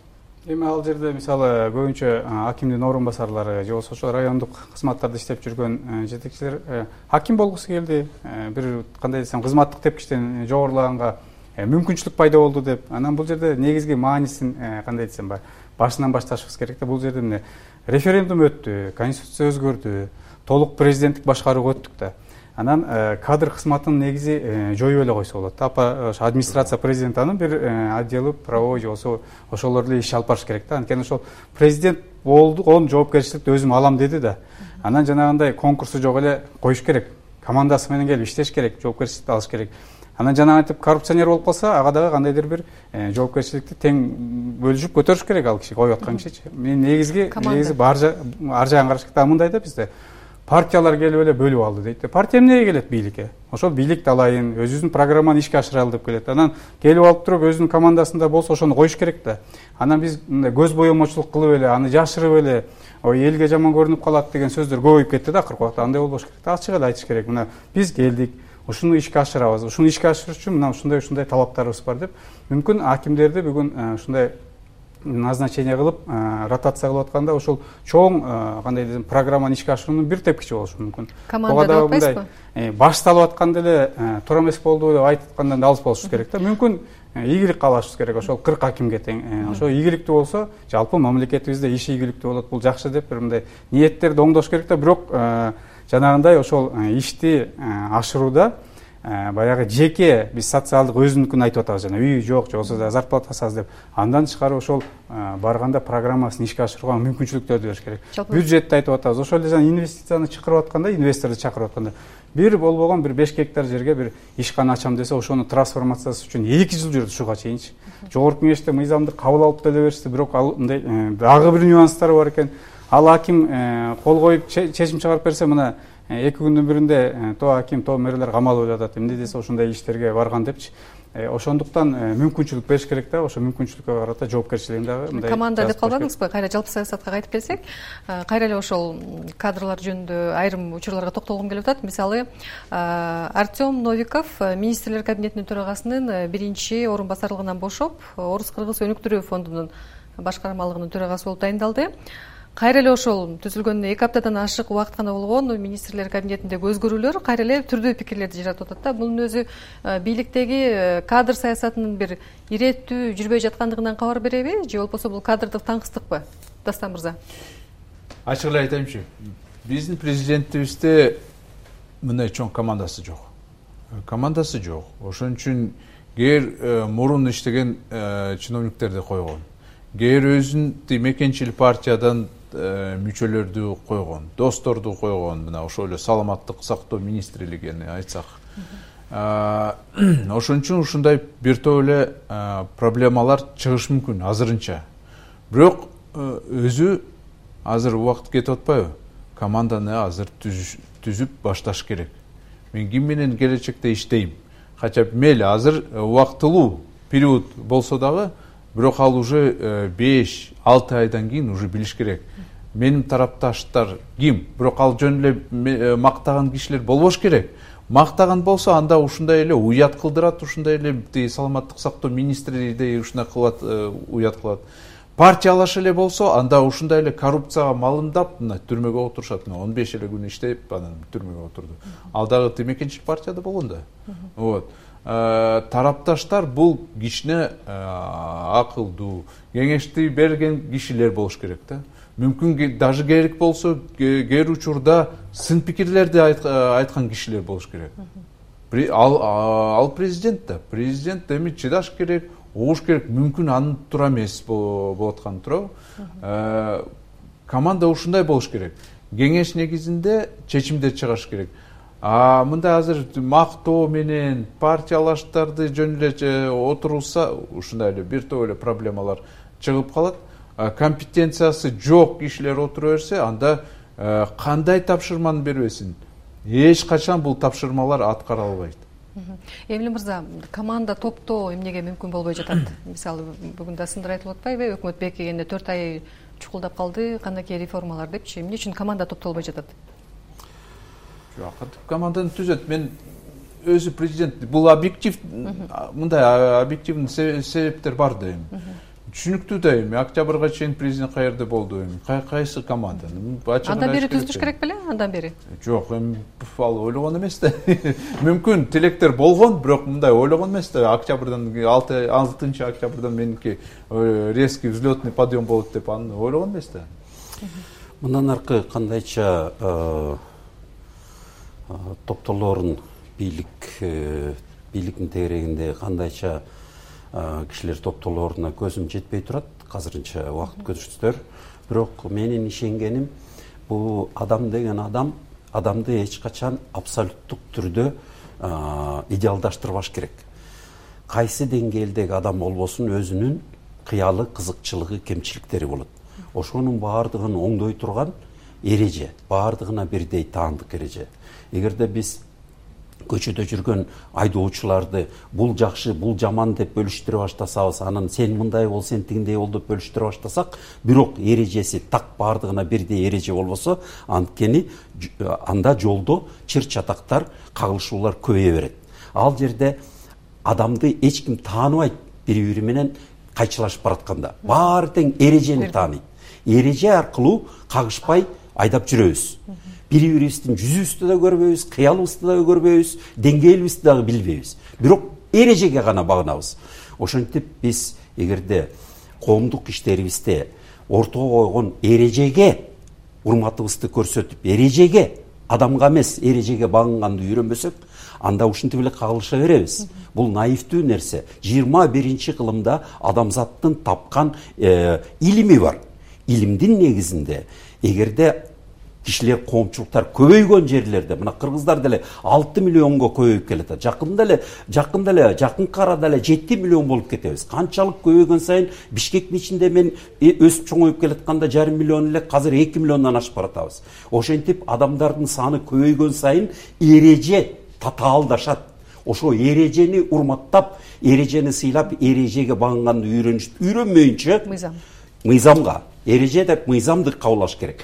Эми ал жерде мисалы көбүнчө акимдин орун басарлары же болбосо ошо райондук кызматтарда иштеп жүргөн жетекчилер аким болгусу келди, бир кандай десем кызматтык тепкичтен жогорулаганга мүмкүнчүлүк пайда болду деп. Анан бул жерде негизги маанисин кандай десем башынан башташыбыз керек да. Бул жерде эмне референдум өттү, конституция өзгөрдү, толук президенттик башкарууга өттүк да. Анан кадр кызматынын негизи жоюп эле койсо болот. Ошо администрация президентанын бир отделы правовой же болсо ошолор эле иш алып барыш керек да. Анткени ошол президент болду, онун жоопкерчиликти өзүм алам деди да. Анан жанагындай конкурсу жок эле коюш керек. Командасы менен келип иштеш керек, жоопкерчиликти алыш керек. Анан жана айтып карупционер болуп калса, ага дагы кандайдыр бир жоопкерчиликти тең бөлүшүп көтөрүш керек ал киши, коюп аткан кишичи. Мен негизи ар жагын караш керек. Мындай да бизде партиялар келип эле бөлүп алды дейт. Партия эмнеге келет бийликке? Ошол бийликти алайын, өзүбүздүн программаны ишке ашыралы деп келет. Анан келип алып туруп өзүнүн командасында болсо ошону коюш керек да. Анан биз мындай көз боемочулук кылып эле, аны жашырып эле, ой элге жаман көрүнүп калат деген сөздөр көбөйүп кетти да акыркы убакта. Андай болбош керек. Ачык эле айтыш керек. Мына биз келдик, ушуну ишке ашырабыз. Ушуну ишке ашырыш үчүн мына ушундай талаптарыбыз бар деп. Мүмкүн акимдерди бүгүн ушундай назначение кылып, ротация кылып атканда ошол чоң кандай десем программаны ишке ашыруунун бир тепкичи болушу мүмкүн. Команда деп атпайсызбы? Башталып атканда эле туура эмес болду деп айтып аткандан алыс болушубуз керек да. Мүмкүн ийгилик каалашыбыз керек. Ошол 40 акимге тең. Ошо ийгиликтүү болсо, жалпы мамлекетибизде иш ийгиликтүү болот. Бул жакшы деп бир мындай ниеттерди оңдош керек да. Бирок жанагындай ошол ишти ашырууда баягы жеке биз социалдык өзүнүкүн айтып атабыз, жана үй жок, же болбосо зарплатасы аз деп. Андан тышкары ошол барганда программасын ишке ашырууга мүмкүнчүлүктөрдү бериш керек. Бюджетти айтып атабыз. Ошол эле жана инвестицияны чакырып атканда, инвесторду чакырып атканда бир болбогон бир 5 гектар жерге бир ишкана ачам десе, ошону трансформациясы үчүн 2 жыл жүрдү ушуга чейинчи. Жогорку кеңеште мыйзамды кабыл алып деле беришти, бирок ал мындай дагы бир нюанстары бар экен. Ал аким кол коюп чечим чыгарып берсе, мына 2 күндүн биринде то аким, то мэрлер камалып атат. Эмне десе ошондой иштерге барган депчи. Ошондуктан мүмкүнчүлүк бериш керек да. Ошо мүмкүнчүлүккө карата жоопкерчилигин дагы мындай команда деп калбадыңызбы? Кайра жалпы саясатка кайтып келсек, кайра эле ошол кадрлар жөнүндө айрым учурларга токтолгум келип атат. Мисалы, Артем Новиков министрлер кабинетинин төрагасынын биринчи орун басарлыгынан бошоп, Орус-Кыргыз өнүктүрүү фондунун башкармалыгынын төрагасы болуп дайындалды. Кайра эле ошол түзүлгөнүнө 2 аптадан ашык убакыт гана болгон министрлер кабинетиндеги өзгөрүүлөр кайра эле түрдүү пикирлерди жаратып атат да. Бунун өзү бийликтеги кадр саясатынын бир иреттүү жүрбөй жаткандыгынан кабар береби, же болбосо бул кадрдык таңкыстыкпы? Дастан мырза. Ачык эле айтайынчы, биздин президентибизде мындай чоң командасы жок. Командасы жок. Ошон үчүн кээ мурун иштеген чиновниктерди койгон. Кээ өзүн мекенчил партиядан мүчөлөрдү койгон, досторду койгон, мына ошол эле саламаттык сактоо министрлигини айтсак. ошон үчүн ушундай бир топ эле проблемалар чыгышы мүмкүн азырынча. Бирок өзү азыр убакыт кетип атпайбы? Команданы азыр түзүп башташ керек. Мен ким менен келечекте иштейм? Кача мейли азыр убактылуу период болсо дагы, бирок ал уже 5-6 айдан кийин уже билиш керек. Менин тарапташтар ким? Бирок ал жөн эле мактаган кишилер болбош керек. Мактаган болсо анда ушундай эле уят кылдырат, ушундай эле саламаттык сактоо министри ушундай кылат, уят кылат. Партиялаш эле болсо анда ушундай эле коррупцияга малымдап түрмөгө отурушат. 15 эле күн иштеп анан түрмөгө отурду. Ал дагы темекенчилик партияда болгон да. Вот. Тарапташтар бул кишине акылдуу, кеңешти берген кишилер болуш керек да. Мүмкүн даже керек болсо кээ учурда сын пикирлерди айткан кишилер болуш керек. Ал президент да. Президент эми чыдаш керек, угуш керек. Мүмкүн анын туура эмес болуп атканы туурабы? Команда ушундай болуш керек. Кеңеш негизинде чечимдер чыгыш керек. Мындай азыр мактоо менен партиялаштарды жөн эле отурулса, ушундай эле бир топ эле проблемалар чыгып калат. Компетенциясы жок кишилер отура берсе, анда кандай тапшырманы бербесин, эч качан бул тапшырмалар аткара албайт. Эмиль мырза, команда топтоо эмнеге мүмкүн болбой жатат? Мисалы, бүгүн да сындыр айтылып атпайбы? Өкмөт бекигенде 4 ай чукулдап калды, кандайкы реформалар депчи. Эмне үчүн команда топтолбой жатат? Жок, команданы түзөт. Мен өзү президент, бул объектив, мындай объективный себептер бар да эми. Түшүнүктүү да эми, октябрга чейин президент каерде болду эми? Кайсы команда? Андан бери түзүш керек беле? Андан бери? Жок, эми ал ойлогон эмес да. Мүмкүн тилектер болгон, бирок мындай ойлогон эмес да. Октябрдан 6 октябрдан меники резкий взлетный подъем болот деп аны ойлогон эмес да. Мындан аркы кандайча топтолорун бийликтин тегерегинде кандайча кишилер топтолоруна көзүм жетпей турат азырынча убакыт көрсөтсөздөр. Бирок менин ишенгеним, бул адам деген адамды эч качан абсолюттук түрдө идеалдаштырбаш керек. Кайсы деңгээлдеги адам болбосун, өзүнүн кыялы, кызыкчылыгы, кемчиликтери болот. Ошонун баардыгын оңдой турган эреже, баардыгына бирдей таандык эреже. Эгерде биз көчөдө жүргөн айдоочуларды бул жакшы, бул жаман деп бөлүштүрө баштасабыз, анан сен мындай бол, сен тигиндей бол деп бөлүштүрө баштасак, бирок эрежеси так баардыгына бирдей эреже болбосо, анткени анда жолдо чыр-чатактар, кагылышуулар көбөйө берет. Ал жерде адамды эч ким тааныбайт, бири-бири менен кайчылашып баратканда. Баары тең эрежени тааныйт. Эреже аркылуу кагышпай айдап жүрөбүз. Бири-бирибиздин жүзүбүздү да көрбөйбүз, кыялыбызды да көрбөйбүз, деңгээлибизди дагы билбейбиз. Бирок эрежеге гана багынабыз. Ошентип биз эгерде коомдук иштерибизде ортого койгон эрежеге урматыбызды көрсөтүп, эрежеге, адамга эмес, эрежеге багынганды үйрөнбөсөк, анда ушинтип эле кагылыша беребиз. Бул наивдүү нерсе. 21-кылымда адамзаттын тапкан илими бар. Илимдин негизинде эгерде кишилер, коомчулуктар көбөйгөн жерлерде, мына кыргыздар деле 6 миллионго көбөйүп келет. Жакынкы арада эле 7 миллион болуп кетебиз. Канчалык көбөйгөн сайын Бишкектин ичинде мен өсүп чоңоюп келатканда 1,5 миллион эле, азыр 2 миллиондон ашып баратабыз. Ошентип адамдардын саны көбөйгөн сайын эреже татаалдашат. Ошо эрежени урматтап, эрежени сыйлап, эрежеге багынганды үйрөнмөйүнчө мыйзамга, эреже деп мыйзамды кабылдаш керек.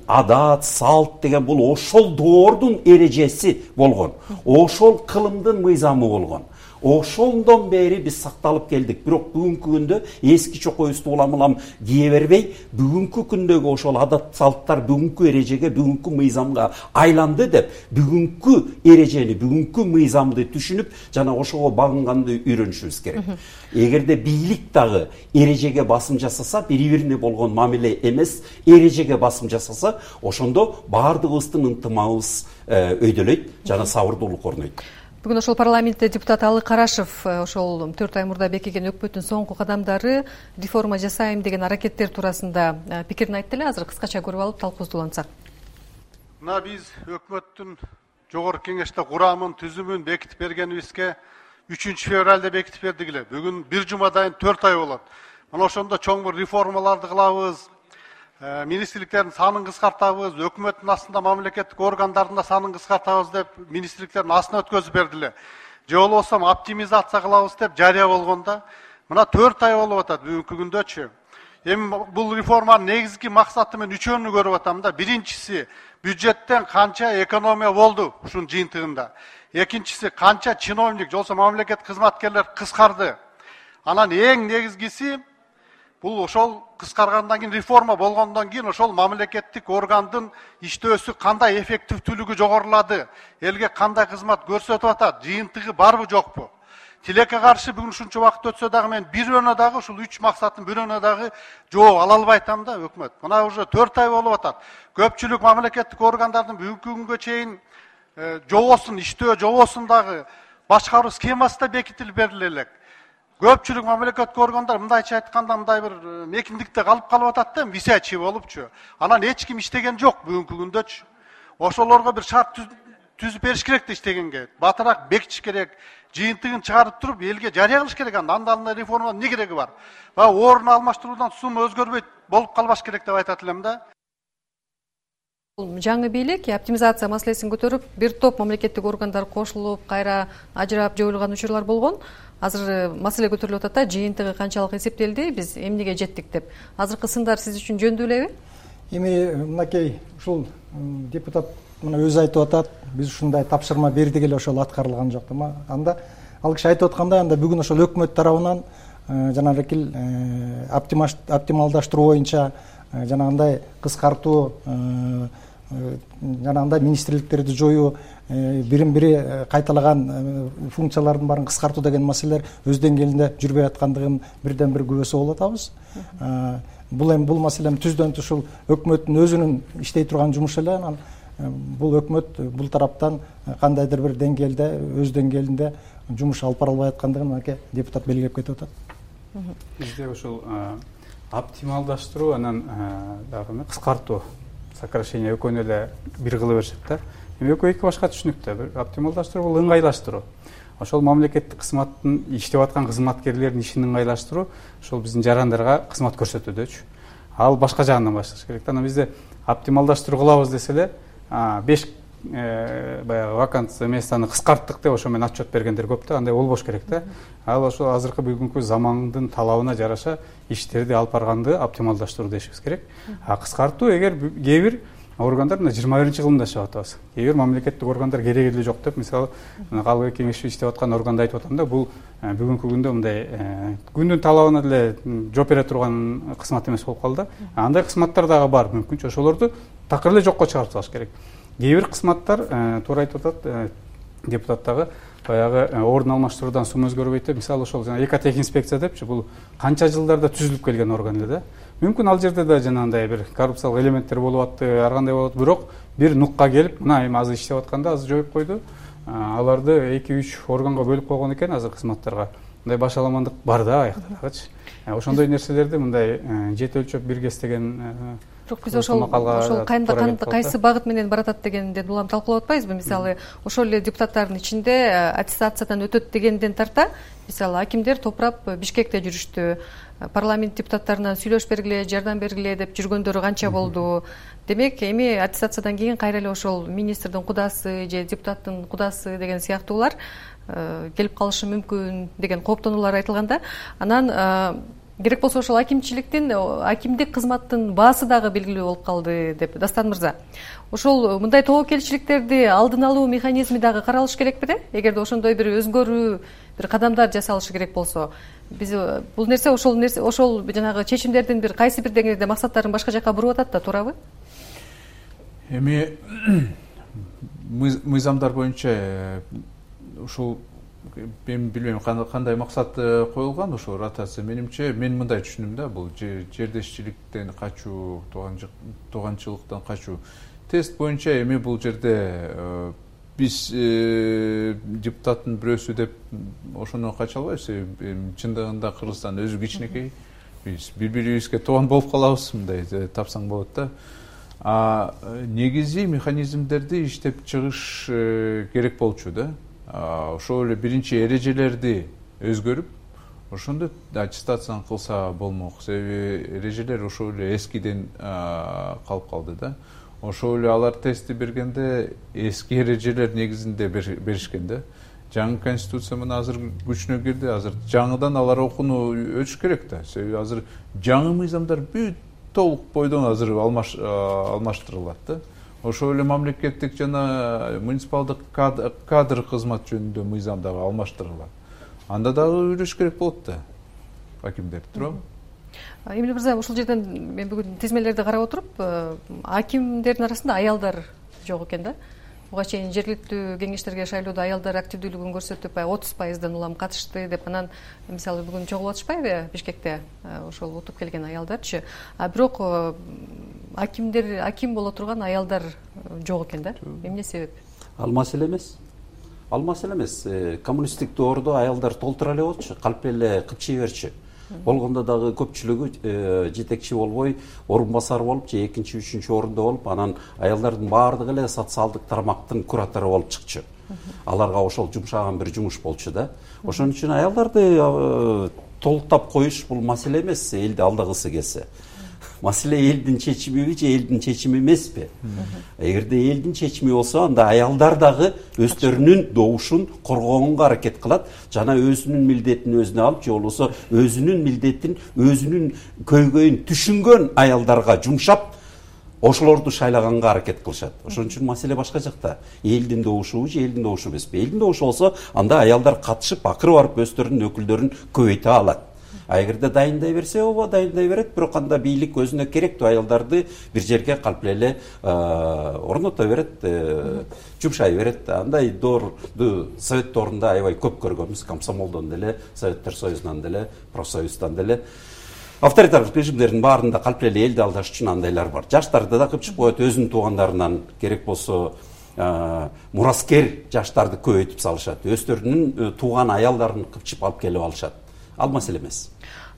Адат, салт деген бул ошол доордун эрежеси болгон. Ошол кылымдын мыйзамы болгон. Ошондон бери биз сакталып келдик. Бирок бүгүнкү күндө эски чокойубузду улам кие бербей, бүгүнкү күндөгү ошол адат салттар бүгүнкү эрежеге, бүгүнкү мыйзамга айланды деп, бүгүнкү эрежени, бүгүнкү мыйзамды түшүнүп, жана ошого багынганды үйрөнүшүбүз керек. Эгерде бийлик дагы эрежеге басым жасаса, бири-бирине болгон мамиле эмес, эрежеге басым жасаса, ошондо баардыгыбыздын ынтымагыбыз өйдөлөйт, жана сабырдуулук орнойт. Бүгүн ошол парламентте депутат Алы Карашев ошол 4 ай мурда бекиген өкмөттүн соңку кадамдары, реформа жасайм деген аракеттер туурасында пикирин айтты эле. Азыр кыскача көрүп алып талкуубузду улантсак. Мына биз өкмөттүн жогорку кеңеште курамын, түзүмүн бекитип бергенибизге 3 февралда бекитип бердик эле. Бүгүн бир жумадан 4 ай болот. Мына ошондо чоң бир реформаларды кылабыз. Министрликтердин санын кыскартабыз, өкмөттүн астында мамлекеттик органдардын да санын кыскартабыз деп министрликтердин астына өткөзүп бердиле. Же болбосо оптимизация кылабыз деп жарыя болгондо мына 4 ай болуп атат бүгүнкү күндөчү. Эми бул реформанын негизги максаты мен үчөөнү көрүп атам да. Биринчиси бюджеттен канча экономия болду ушунун жыйынтыгында. Экинчиси канча чиновник, жолсо мамлекет кызматкерлер кыскарды. Анан эң негизгиси бул ошол кыскаргандан кийин реформа болгондон кийин ошол мамлекеттик органдын иштөөсү кандай эффективдүүлүгү жогорулады, элге кандай кызмат көрсөтүп атат, жыйынтыгы барбы жокпу? Тилекке каршы бүгүн ушунча убакыт өтсө дагы мен бирөөнө дагы ушул 3 максаттын бирөөнө дагы жооп ала албай атам да өкмөт. Мына уже 4 ай болуп атат. Көпчүлүк мамлекеттик органдардын бүгүнкү күнгө чейин жобосун, иштөө жобосун дагы башкаруу схемасы да бекитилип бериле элек. Көпчүлүк мамлекеттик органдар мындайча айтканда мындай бир мекиндикте калып атат да, висячий болупчу. Анан эч ким иштеген жок бүгүнкү күндөчү. Ошолорго бир шарт түзүп бериш керек да иштегенге. Батыраак бекитиш керек. Жыйынтыгын чыгарып туруп элге жарыя кылыш керек. Анда реформа эмне кереги бар? Орун алмаштыруудан сумма өзгөрбөйт болуп калбаш керек деп айтат элем да. Жаңы бийлик оптимизация маселесин көтөрүп, бир топ мамлекеттик органдар кошулуп, кайра ажырап жоюлган учурлар болгон. Азыр маселе көтөрүлүп атат да, жыйынтыгы канчалык эсептелди, биз эмнеге жеттик деп. Азыркы сындар сиз үчүн жөндүү элеби? Эми мынакей ушул депутат мына өзү айтып атат, биз ушундай тапшырма бердик эле, ошол аткарылган жок да. Анда ал киши айтып аткандай, анда бүгүн ошол өкмөт тарабынан жанагы оптималдаштыруу боюнча жанагындай кыскартуу, жанагындай министрликтерди жоюу, бирин-бири кайталаган функциялардын баарын кыскартуу деген маселелер өз деңгээлинде жүрбөй аткандыгын бирден бир күбөсү болуп атабыз. Бул маселе түздөн түз ушул өкмөттүн өзүнүн иштей турган жумушу эле. Анан бул өкмөт бул тараптан кандайдыр бир деңгээлде, өз деңгээлинде жумуш алып бара албай аткандыгын депутат белгилеп кетип атат. Бизде ушул оптималдаштыруу, анан дагы кыскартуу, сокращение экөөнү эле бир кылып беришет да. Эми экөө эки башка түшүнүктө. Бир оптималдаштыруу бул ыңгайлаштыруу. Ошол мамлекеттик кызматтын иштеп аткан кызматкерлердин ишин ыңгайлаштыруу, ошол биздин жарандарга кызмат көрсөтүүдөчү. Ал башка жагынан башташ керек. Анан бизде оптималдаштыруу кылабыз десе эле 5 баягы вакансия местаны кыскарттык деп ошо менен отчет бергендер көп да, андай болбош керек да. Ал ошол азыркы бүгүнкү замандын талабына жараша иштерди алып барганды оптималдаштыруу дешибиз керек. Кыскартуу эгер кээ бир органдар 21-кылымда иштеп атабыз. Кээ бир мамлекеттик органдар кереги эле жок деп, мисалы, калгы кеңеште иштеп аткан органды айтып атам да, бул бүгүнкү күндө мындай күндүн талабына деле жооп бере турган кызмат эмес болуп калды. Андай кызматтар дагы бар, мүмкүнчө ошолорду такыр эле жокко чыгарып салыш керек. Кээ бир кызматтар туура айтып атат депутат дагы, баягы орун алмаштыруудан сум өзгөрбөйт деп, мисалы ошол жана экотех инспекция депчи, бул канча жылдарда түзүлүп келген орган эле да. Мүмкүн ал жерде да жанагындай бир коррупциялык элементтер болуп атты, ар кандай болот, бирок бир нукка келип, мына эми азыр иштеп атканда азыр жоюп койду. Аларды 2-3 органга бөлүп койгон экен азыр кызматтарга. Мындай башаламандык бар да аяктагычы. Ошондой нерселерди мындай жет өлчөп биргес деген. Бирок биз ошол кайсы багыт менен баратат дегенден улам талкуулап атпайбызбы? Мисалы, ошол эле депутаттардын ичинде аттестациядан өтөт дегенден тарта, мисалы, акимдер топурап Бишкекте жүрүштү. Парламент депутаттарынан сүйлөшүп бергиле, жардам бергиле деп жүргөндөрү канча болду. Демек, эми аттестациядан кийин кайра эле ошол министрдин кудасы же депутаттын кудасы деген сыяктуулар келип калышы мүмкүн деген кооптонуулар айтылганда, анан керек болсо ошол акимдик кызматтын баасы дагы белгилүү болуп калды деп. Дастан мырза, ошол мындай тобокелчиликтерди алдын алуу механизми дагы каралыш керекпи да? Эгерде ошондой бир өзгөрүү, бир кадамдар жасалышы керек болсо, биз бул нерсе ошол жанагы чечимдердин бир кайсы бир деңгээлде максаттарын башка жакка буруп атат да, туурабы? Эми мыйзамдар боюнча ушул мен билбейм кандай максат коюлган ошол ротация. Менимче, мен мындай түшүнөм да, бул жердешчиликтен качуу, тууганчылыктан качуу. Тест боюнча эми бул жерде биз депутаттын бирөөсү деп ошондон кача албайбыз. Чындыгында Кыргызстан өзү кичинекей. Биз бири-бирибизге тууган болуп калабыз, мындай тапсаң болот да. негизи механизмдерди иштеп чыгыш керек болчу да. Ошол эле биринчи эрежелерди өзгөрүп, ошондо аттестацияны кылса болмок. Себеби эрежелер ошол эле эскиден калып калды да. Ошол эле алар тестти бергенде эски эрежелер негизинде беришкен да. Жаңы конституция мына азыр күчүнө кирди. Азыр жаңыдан алар окууну өтүш керек да. Себеби азыр жаңы мыйзамдар бүт толук бойдон азыр алмаштырылат да. Ошол эле мамлекеттик жана муниципалдык кадр кызмат жөнүндө мыйзам дагы алмаштырылат. Анда дагы үйрөнүш керек болот да. Акимдер, туурабы? Эмиль мырза, ушул жерден мен бүгүн тизмелерди карап отуруп, акимдердин арасында аялдар жок экен да. Буга чейин жергиликтүү кеңештерге шайлоодо аялдар активдүүлүгүн көрсөтүп 30%дан улам катышты деп, анан мисалы бүгүн чогулуп атышпайбы Бишкекте ошол утуп келген аялдарчы. Бирок аким боло турган аялдар жок экен да. Эмне себеп? Ал маселе эмес. Коммунисттик доордо аялдар толтура эле болчу, калп эле кыпчый берчү. Болгондо дагы көпчүлүгү жетекчи болбой, орун басар болуп же экинчи, үчүнчү орунда болуп, анан аялдардын баардыгы эле социалдык тармактын куратору болуп чыкчу. Аларга ошол жумшаган бир жумуш болчу да. Ошон үчүн аялдарды толуктап коюш бул маселе эмес, элди алдагысы келсе. Маселе элдин чечимиби же элдин чечими эмеспи? Эгерде элдин чечими болсо, анда аялдар дагы өздөрүнүн добушун коргогонго аракет кылат, жана өзүнүн милдетин өзүнө алып, же болбосо өзүнүн милдетин, өзүнүн көйгөйүн түшүнгөн аялдарга жумшап, ошолорду шайлаганга аракет кылышат. Ошон үчүн маселе башка жакта. Элдин добушубу же элдин добушу эмеспи? Элдин добушу болсо, анда аялдар катышып, акыры барып өздөрүнүн өкүлдөрүн көбөйтө алат. Эгерде дайындай берсе, ооба дайындай берет, бирок анда бийлик өзүнө керектүү аялдарды бир жерге калп эле орното берет, жумшай берет. Андай доорду совет доорунда аябай көп көргөнбүз, комсомолдон деле, Советтер Союзунан деле, профсоюздан деле. Авторитарлык режимдердин баарында калп эле элди алдаш үчүн андайлар бар. Жаштарды да кыпчып коет, өзүнүн туугандарынан, керек болсо мураскер жаштарды көбөйтүп салышат. Өздөрүнүн тууган аялдарын кыпчып алып келип алышат. Ал маселе эмес.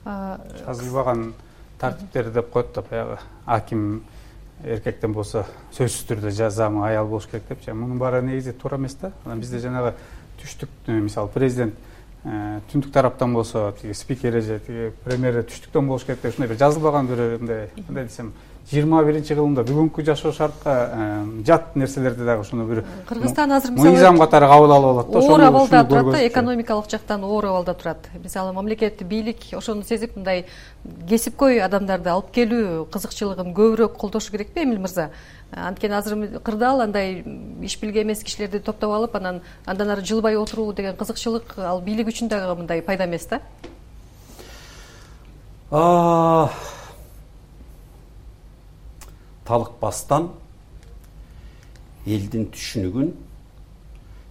Жазылбаган тартиптерди деп коет да, баягы аким эркектен болсо сөзсүз түрдө жазамы аял болуш керек депчи. Мунун баары негизи туура эмес да. Анан бизде жанагы түштүк, мисалы президент түндүк тараптан болсо, спикери же премьери түштүктөн болуш керек деп ушундай бир жазылбаган бир кандай десем 21-кылымда бүгүнкү жашоо шартка жат нерселерди дагы ошону бир Кыргызстан азыр мисалы мыйзам катары кабыл алып алат да. Оор абалда турат да, экономикалык жактан оор абалда турат. Мисалы мамлекет, бийлик ошону сезип мындай кесипкөй адамдарды алып келүү кызыкчылыгын көбүрөөк колдошу керекпи, Эмиль мырза? Анткени азыр кырдаал андай иш билге эмес кишилерди топтоп алып, андан ары жылбай отуруу деген кызыкчылык ал бийлик үчүн дагы мындай пайда эмес да. Талыкпастан элдин түшүнүгүн,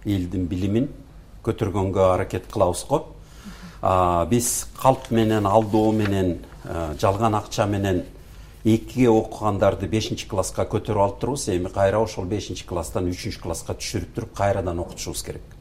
элдин билимин көтөргөнгө аракет кылабыз го. Биз калп менен, алдоо менен, жалган акча менен 2 окугандарды 5-класска көтөрүп алып турбуз. Эми кайра ошол 5-класстан 3-класска түшүрүп туруп кайрадан окутушубуз керек.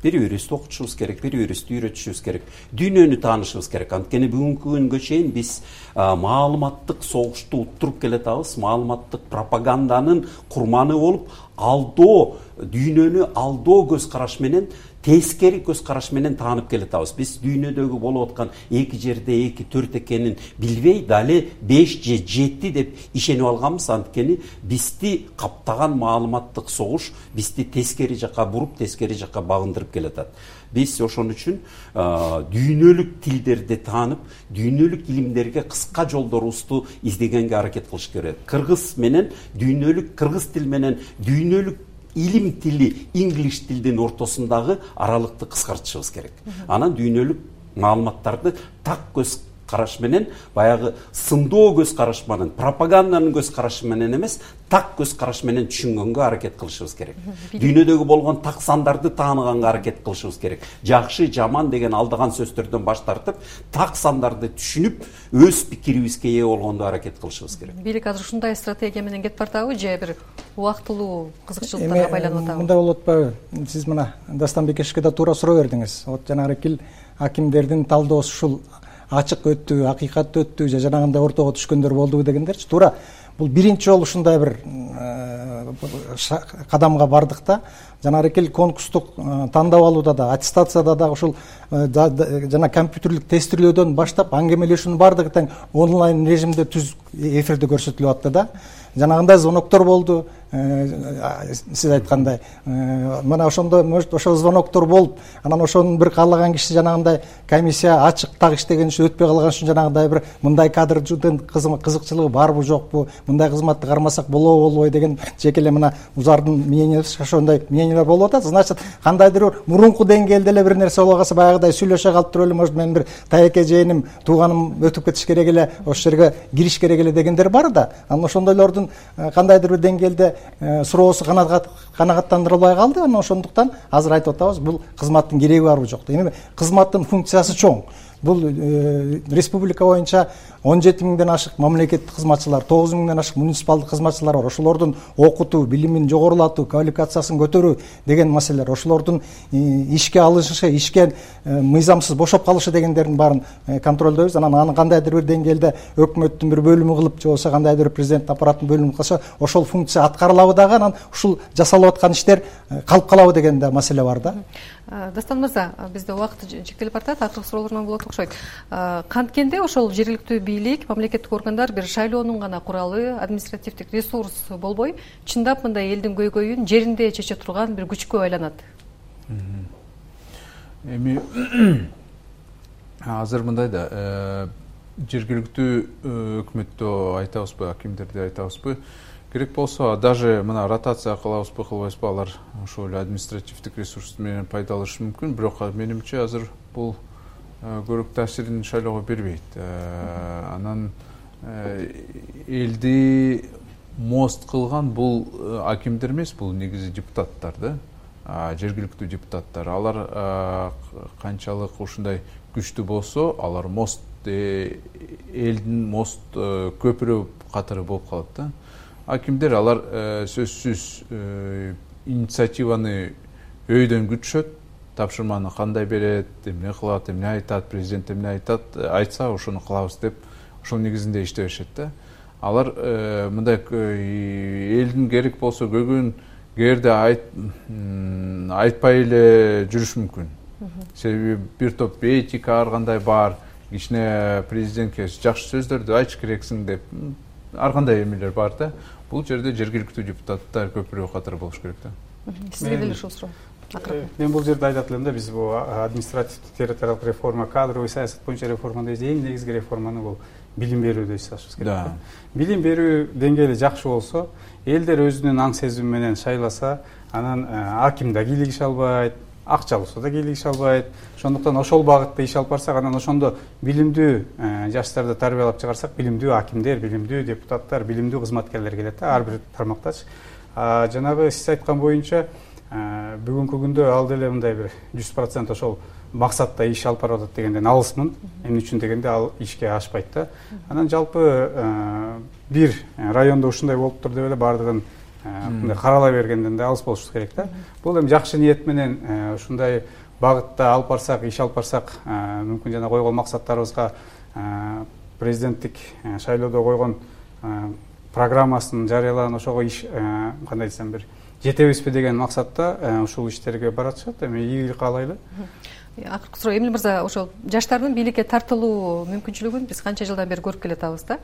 Бири-бирибизди окутушубуз керек, бири-бирибизди үйрөтүшүбүз керек, дүйнөнү таанышыбыз керек. Анткени бүгүнкү күнгө чейин биз маалыматтык согушту уттуруп келатабыз, маалыматтык пропаганданын курманы болуп, алдоо, дүйнөнү алдоо көз караш менен, тескери көз караш менен таанып келатабыз. Биз дүйнөдөгү болуп аткан 2 жерде 2 4 экенин билбей, дали 5 же 7 деп ишенип алганбыз. Анткени бизди каптаган маалыматтык согуш бизди тескери жакка буруп, тескери жакка багындырып келатат. Биз ошон үчүн дүйнөлүк тилдерди таанып, дүйнөлүк илимдерге кыска жолдорубузду издегенге аракет кылыш керек. Кыргыз тил менен дүйнөлүк илим тили, инглиш тилдин ортосундагы аралыкты кыскартышыбыз керек. Анан дүйнөлүк маалыматтарды так көз караш менен, баягы сындоо көз караш менен, пропаганданын көз карашы менен эмес, так көз караш менен түшүнгөнгө аракет кылышыбыз керек. Дүйнөдөгү болгон так сандарды тааныганга аракет кылышыбыз керек. Жакшы, жаман деген алдаган сөздөрдөн баш тартып, так сандарды түшүнүп, өз пикирибизге ээ болгондо аракет кылышыбыз керек. Бийлик азыр ушундай стратегия менен кетип бартабы же бир убактылуу кызыкчылыктарга байланып атабы? Мындай болуп атпайбы? Сиз мына Дастан Бекешевке да туура суроо бердиңиз. Вот жанагы акимдердин талдоосу ушул ачык өттү, акыйкат өттү же жанагындай ортого түшкөндөр болдубу дегендерчи. Туура бул биринчи жолу ушундай бир кадамга бардык да. Жанагы конкурстук тандап алууда да, аттестацияда да ушул жана компьютерлик тестирлөөдөн баштап аңгемелешүүнүн баардыгы тең онлайн режимде түз эфирде көрсөтүлүп атты да. Жанагындай звоноктор болду. Сиз айткандай мына ошондо может ошол звоноктор болуп, анан ошонун бир каалаган киши жанагындай комиссия ачык так иштеген үчүн өтпөй калган үчүн жанагындай бир мындай кадрдын кызыкчылыгы барбы жокпу, мындай кызматты кармасак болобу болбой деген жеке эле мына узардын мнениясы ошондой мнениялар болуп атат. Значит, кандайдыр бир мурунку деңгээлде эле бир нерсе болуп калса, баягыдай сүйлөшө калып туруп эле может менин бир тайеке жээним, тууганым өтүп кетиш керек эле, ошол жерге кириш керек эле дегендер бар да. Анан ошондойлордун кандайдыр бир деңгээлде суроосу канагаттандырылбай калды. Анан ошондуктан азыр айтып атабыз, бул кызматтын кереги барбы жокпу. Эми кызматтын функциясы чоң. Бул республика боюнча 17 миңден ашык мамлекеттик кызматчылар, 9 миңден ашык муниципалдык кызматчылар бар. Ошолордун окутуу, билимин жогорулатуу, квалификациясын көтөрүү деген маселелер, ошолордун ишке алышы, ишке мыйзамсыз бошоп калышы дегендердин баарын контролдойбуз. Анан аны кандайдыр бир деңгээлде өкмөттүн бир бөлүмү кылып, же болбосо кандайдыр бир президенттин аппараттын бөлүмү кылса, ошол функция аткарылабы дагы, анан ушул жасалып аткан иштер калып калабы деген да маселе бар да. Дастан мырза, бизде убакыт чектелип баратат, акыркы суроолордон болот окшойт. Канткенде ошол жергиликтүү бийлик, мамлекеттик органдар бир шайлоонун гана куралы, административдик ресурс болбой, чындап мындай элдин көйгөйүн жеринде чече турган бир күчкө айланат. Эми азыр мындай да, жергиликтүү өкмөттө айтабызбы, акимдерде айтабызбы, керек болсо даже мына ротация кылабызбы, кылбайбызбы, алар ошол эле административдик ресурс менен пайдаланышы мүмкүн, бирок менимче азыр бул көрүк таасирин шайлоого бербейт. Анан элди мост кылган бул акимдер эмес, бул негизи депутаттар да, жергиликтүү депутаттар. Алар канчалык ушундай күчтүү болсо, алар мост, элдин мост көпүрө катары болуп калат да. Акимдер алар сөзсүз инициативаны өйдөн күтүшөт, тапшырманы кандай берет, эмне кылат, эмне айтат, президент эмне айтат, айтса ошону кылабыз деп ошол негизинде иштей беришет да. Алар мындай элдин керек болсо көйгөйүн кээрде айтпай эле жүрүш мүмкүн. Себеби бир топ этика ар кандай бар, кичине президентке жакшы сөздөрдү айтыш керексиң деп ар кандай эмелер бар да. Бул жерде жергиликтүү депутаттар көпүрө катары болуш керек да. Сизге деле ушул суроо. Мен бул жерде айтат элем да, биз бул административдик территориалдык реформа, кадровый саясат боюнча реформаны эң негизги реформаны бул билим берүүдө жасашыбыз керек. Билим берүү деңгээли жакшы болсо, элдер өзүнүн аң сезими менен шайласа, анан аким да кийлигише албайт, акчалуусу да кийлигише албайт. Ошондуктан ошол багытта иш алып барсак, анан ошондо билимдүү жаштарды тарбиялап чыгарсак, билимдүү акимдер, билимдүү депутаттар, билимдүү кызматкерлер келет да, ар бир тармактач. Жанагы сиз айткан боюнча бүгүнкү күндө ал деле мындай бир 100% ошол максатта иш алып барып атат дегенден алысмын. Эмне үчүн дегенде ал ишке ашпайт да. Анан жалпы бир райондо ушундай болуптур деп эле баардыгын мындай каралай бергенден да алыс болушубуз керек да. Бул эми жакшы ниет менен ушундай багытта алып барсак, иш алып барсак, мүмкүн жана койгон максаттарыбызга президенттик шайлоодо койгон программасын жарыялаган ошого иш кандай десем бир жетебизби деген максатта ушул иштерге баратышат. Эми ийгилик каалайлы. Акыркы суроо, Эмил мырза, ошол жаштардын бийликке тартылуу мүмкүнчүлүгүн биз канча жылдан бери көрүп келатабыз да.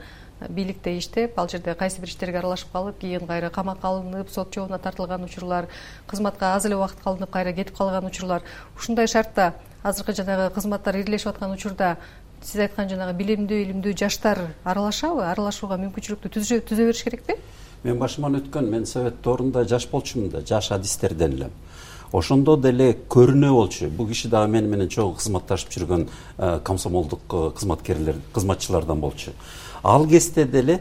Бийликте иштеп, ал жерде кайсы бир иштерге аралашып калып, кийин кайра камакка алынып, сот жообуна тартылган учурлар, кызматка аз эле убакыт калынып, кайра кетип калган учурлар. Ушундай шартта азыркы жанагы кызматтар ирилешип аткан учурда сиз айткан жанагы билимдүү, илимдүү жаштар аралашабы? Аралашууга мүмкүнчүлүктү түзө бериш керекпи? Мен башыман өткөн, мен совет орунда жаш болчумун да, жаш адистерден элем. Ошондо деле көрүнө болчу. Бул киши дагы мени менен чогуу кызматташып жүргөн комсомолдук кызматкерлер, кызматчылардан болчу. Ал кезде деле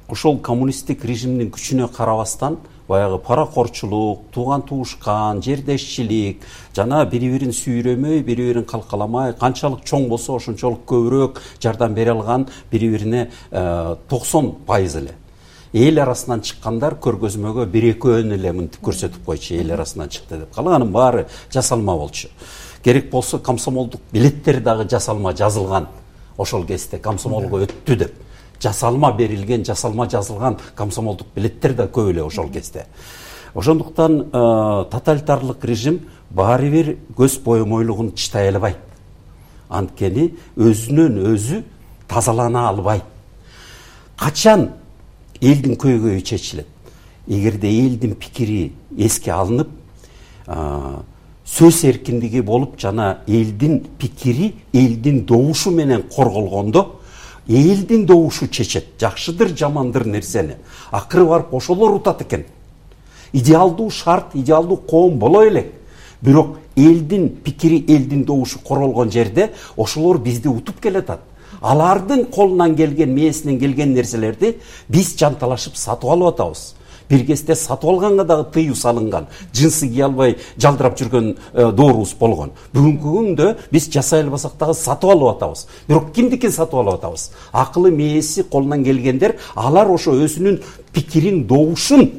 ошол коммунисттик режимдин күчүнө карабастан баягы паракорчулук, тууган туушкан, жердешчилик, жана бири-бирин сүйрөмөй, бири-бирин калкаламай, канчалык чоң болсо ошончолук көбүрөөк жардам бере алган, бири-бирине 90% эле. Эл арасынан чыккандар көргөзмөгө 1-2 эле мынтип көрсөтүп койчу, эл арасынан чыкты деп. Калганын баары жасалма болчу. Керек болсо комсомолдук билеттер дагы жасалма жазылган. Ошол кезде комсомолго өттү деп. жасалма берилген, жасалма жазылган комсомолдук билеттер да көп эле ошол кезде. Ошондуктан тоталитарлык режим баары бир көз боемойлугун чытай албайт. Анткени өзүнөн өзү тазалана албайт. Качан элдин көйгөйү чечилет? Эгерде элдин пикири эске алынып, сөз эркиндиги болуп жана элдин пикири элдин добушу менен корголгондо, элдин добушу чечет. Жакшыдыр, жамандыр нерсени. Акыры барып ошолор утат экен. Идеалдуу шарт, идеалдуу коом боло элек. Бирок элдин пикири, элдин добушу корголгон жерде ошолор бизди утуп келатат. Алардын колунан келген, мээсинен келген нерселерди биз жанталашып сатып алып атабыз. Бир кезде сатып алганга дагы тыюу салынган, жынсы кие албай жалдырап жүргөн доорубуз болгон. Бүгүнкү күндө биз жасай албасак дагы сатып алып атабыз. Бирок кимдикин сатып алып атабыз? Акылы мээси колунан келгендер, алар ошо өзүнүн пикирин, добушун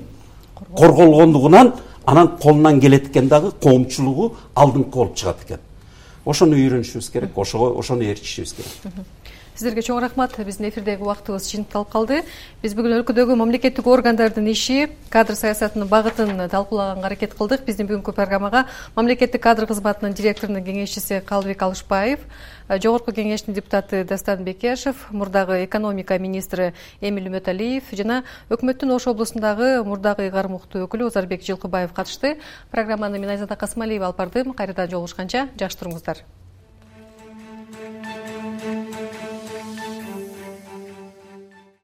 корголгондугунан анан колунан келет экен дагы коомчулугу алдыңкы болуп чыгат экен. Ошону үйрөнүшүбүз керек, ошону ээрчишибиз керек. Сиздерге чоң рахмат. Биздин эфирдеги убактыбыз жыйынтыкталып калды. Биз бүгүн өлкөдөгү мамлекеттик органдардын иши, кадр саясатынын багытын талкуулаганга аракет кылдык. Биздин бүгүнкү программага мамлекеттик кадр кызматынын директорунун кеңешчиси Калыбек Алышбаев, Жогорку кеңештин депутаты Дастан Бекешев, мурдагы экономика министри Эмиль Үмөталиев жана өкмөттүн Ош облусундагы мурдагы ыйгарым укуктуу өкүлү Озарбек Жылкыбаев катышты. Программаны мен Айзада Касмалиева алып бардым. Кайрадан жолугушканча жакшы туруңуздар.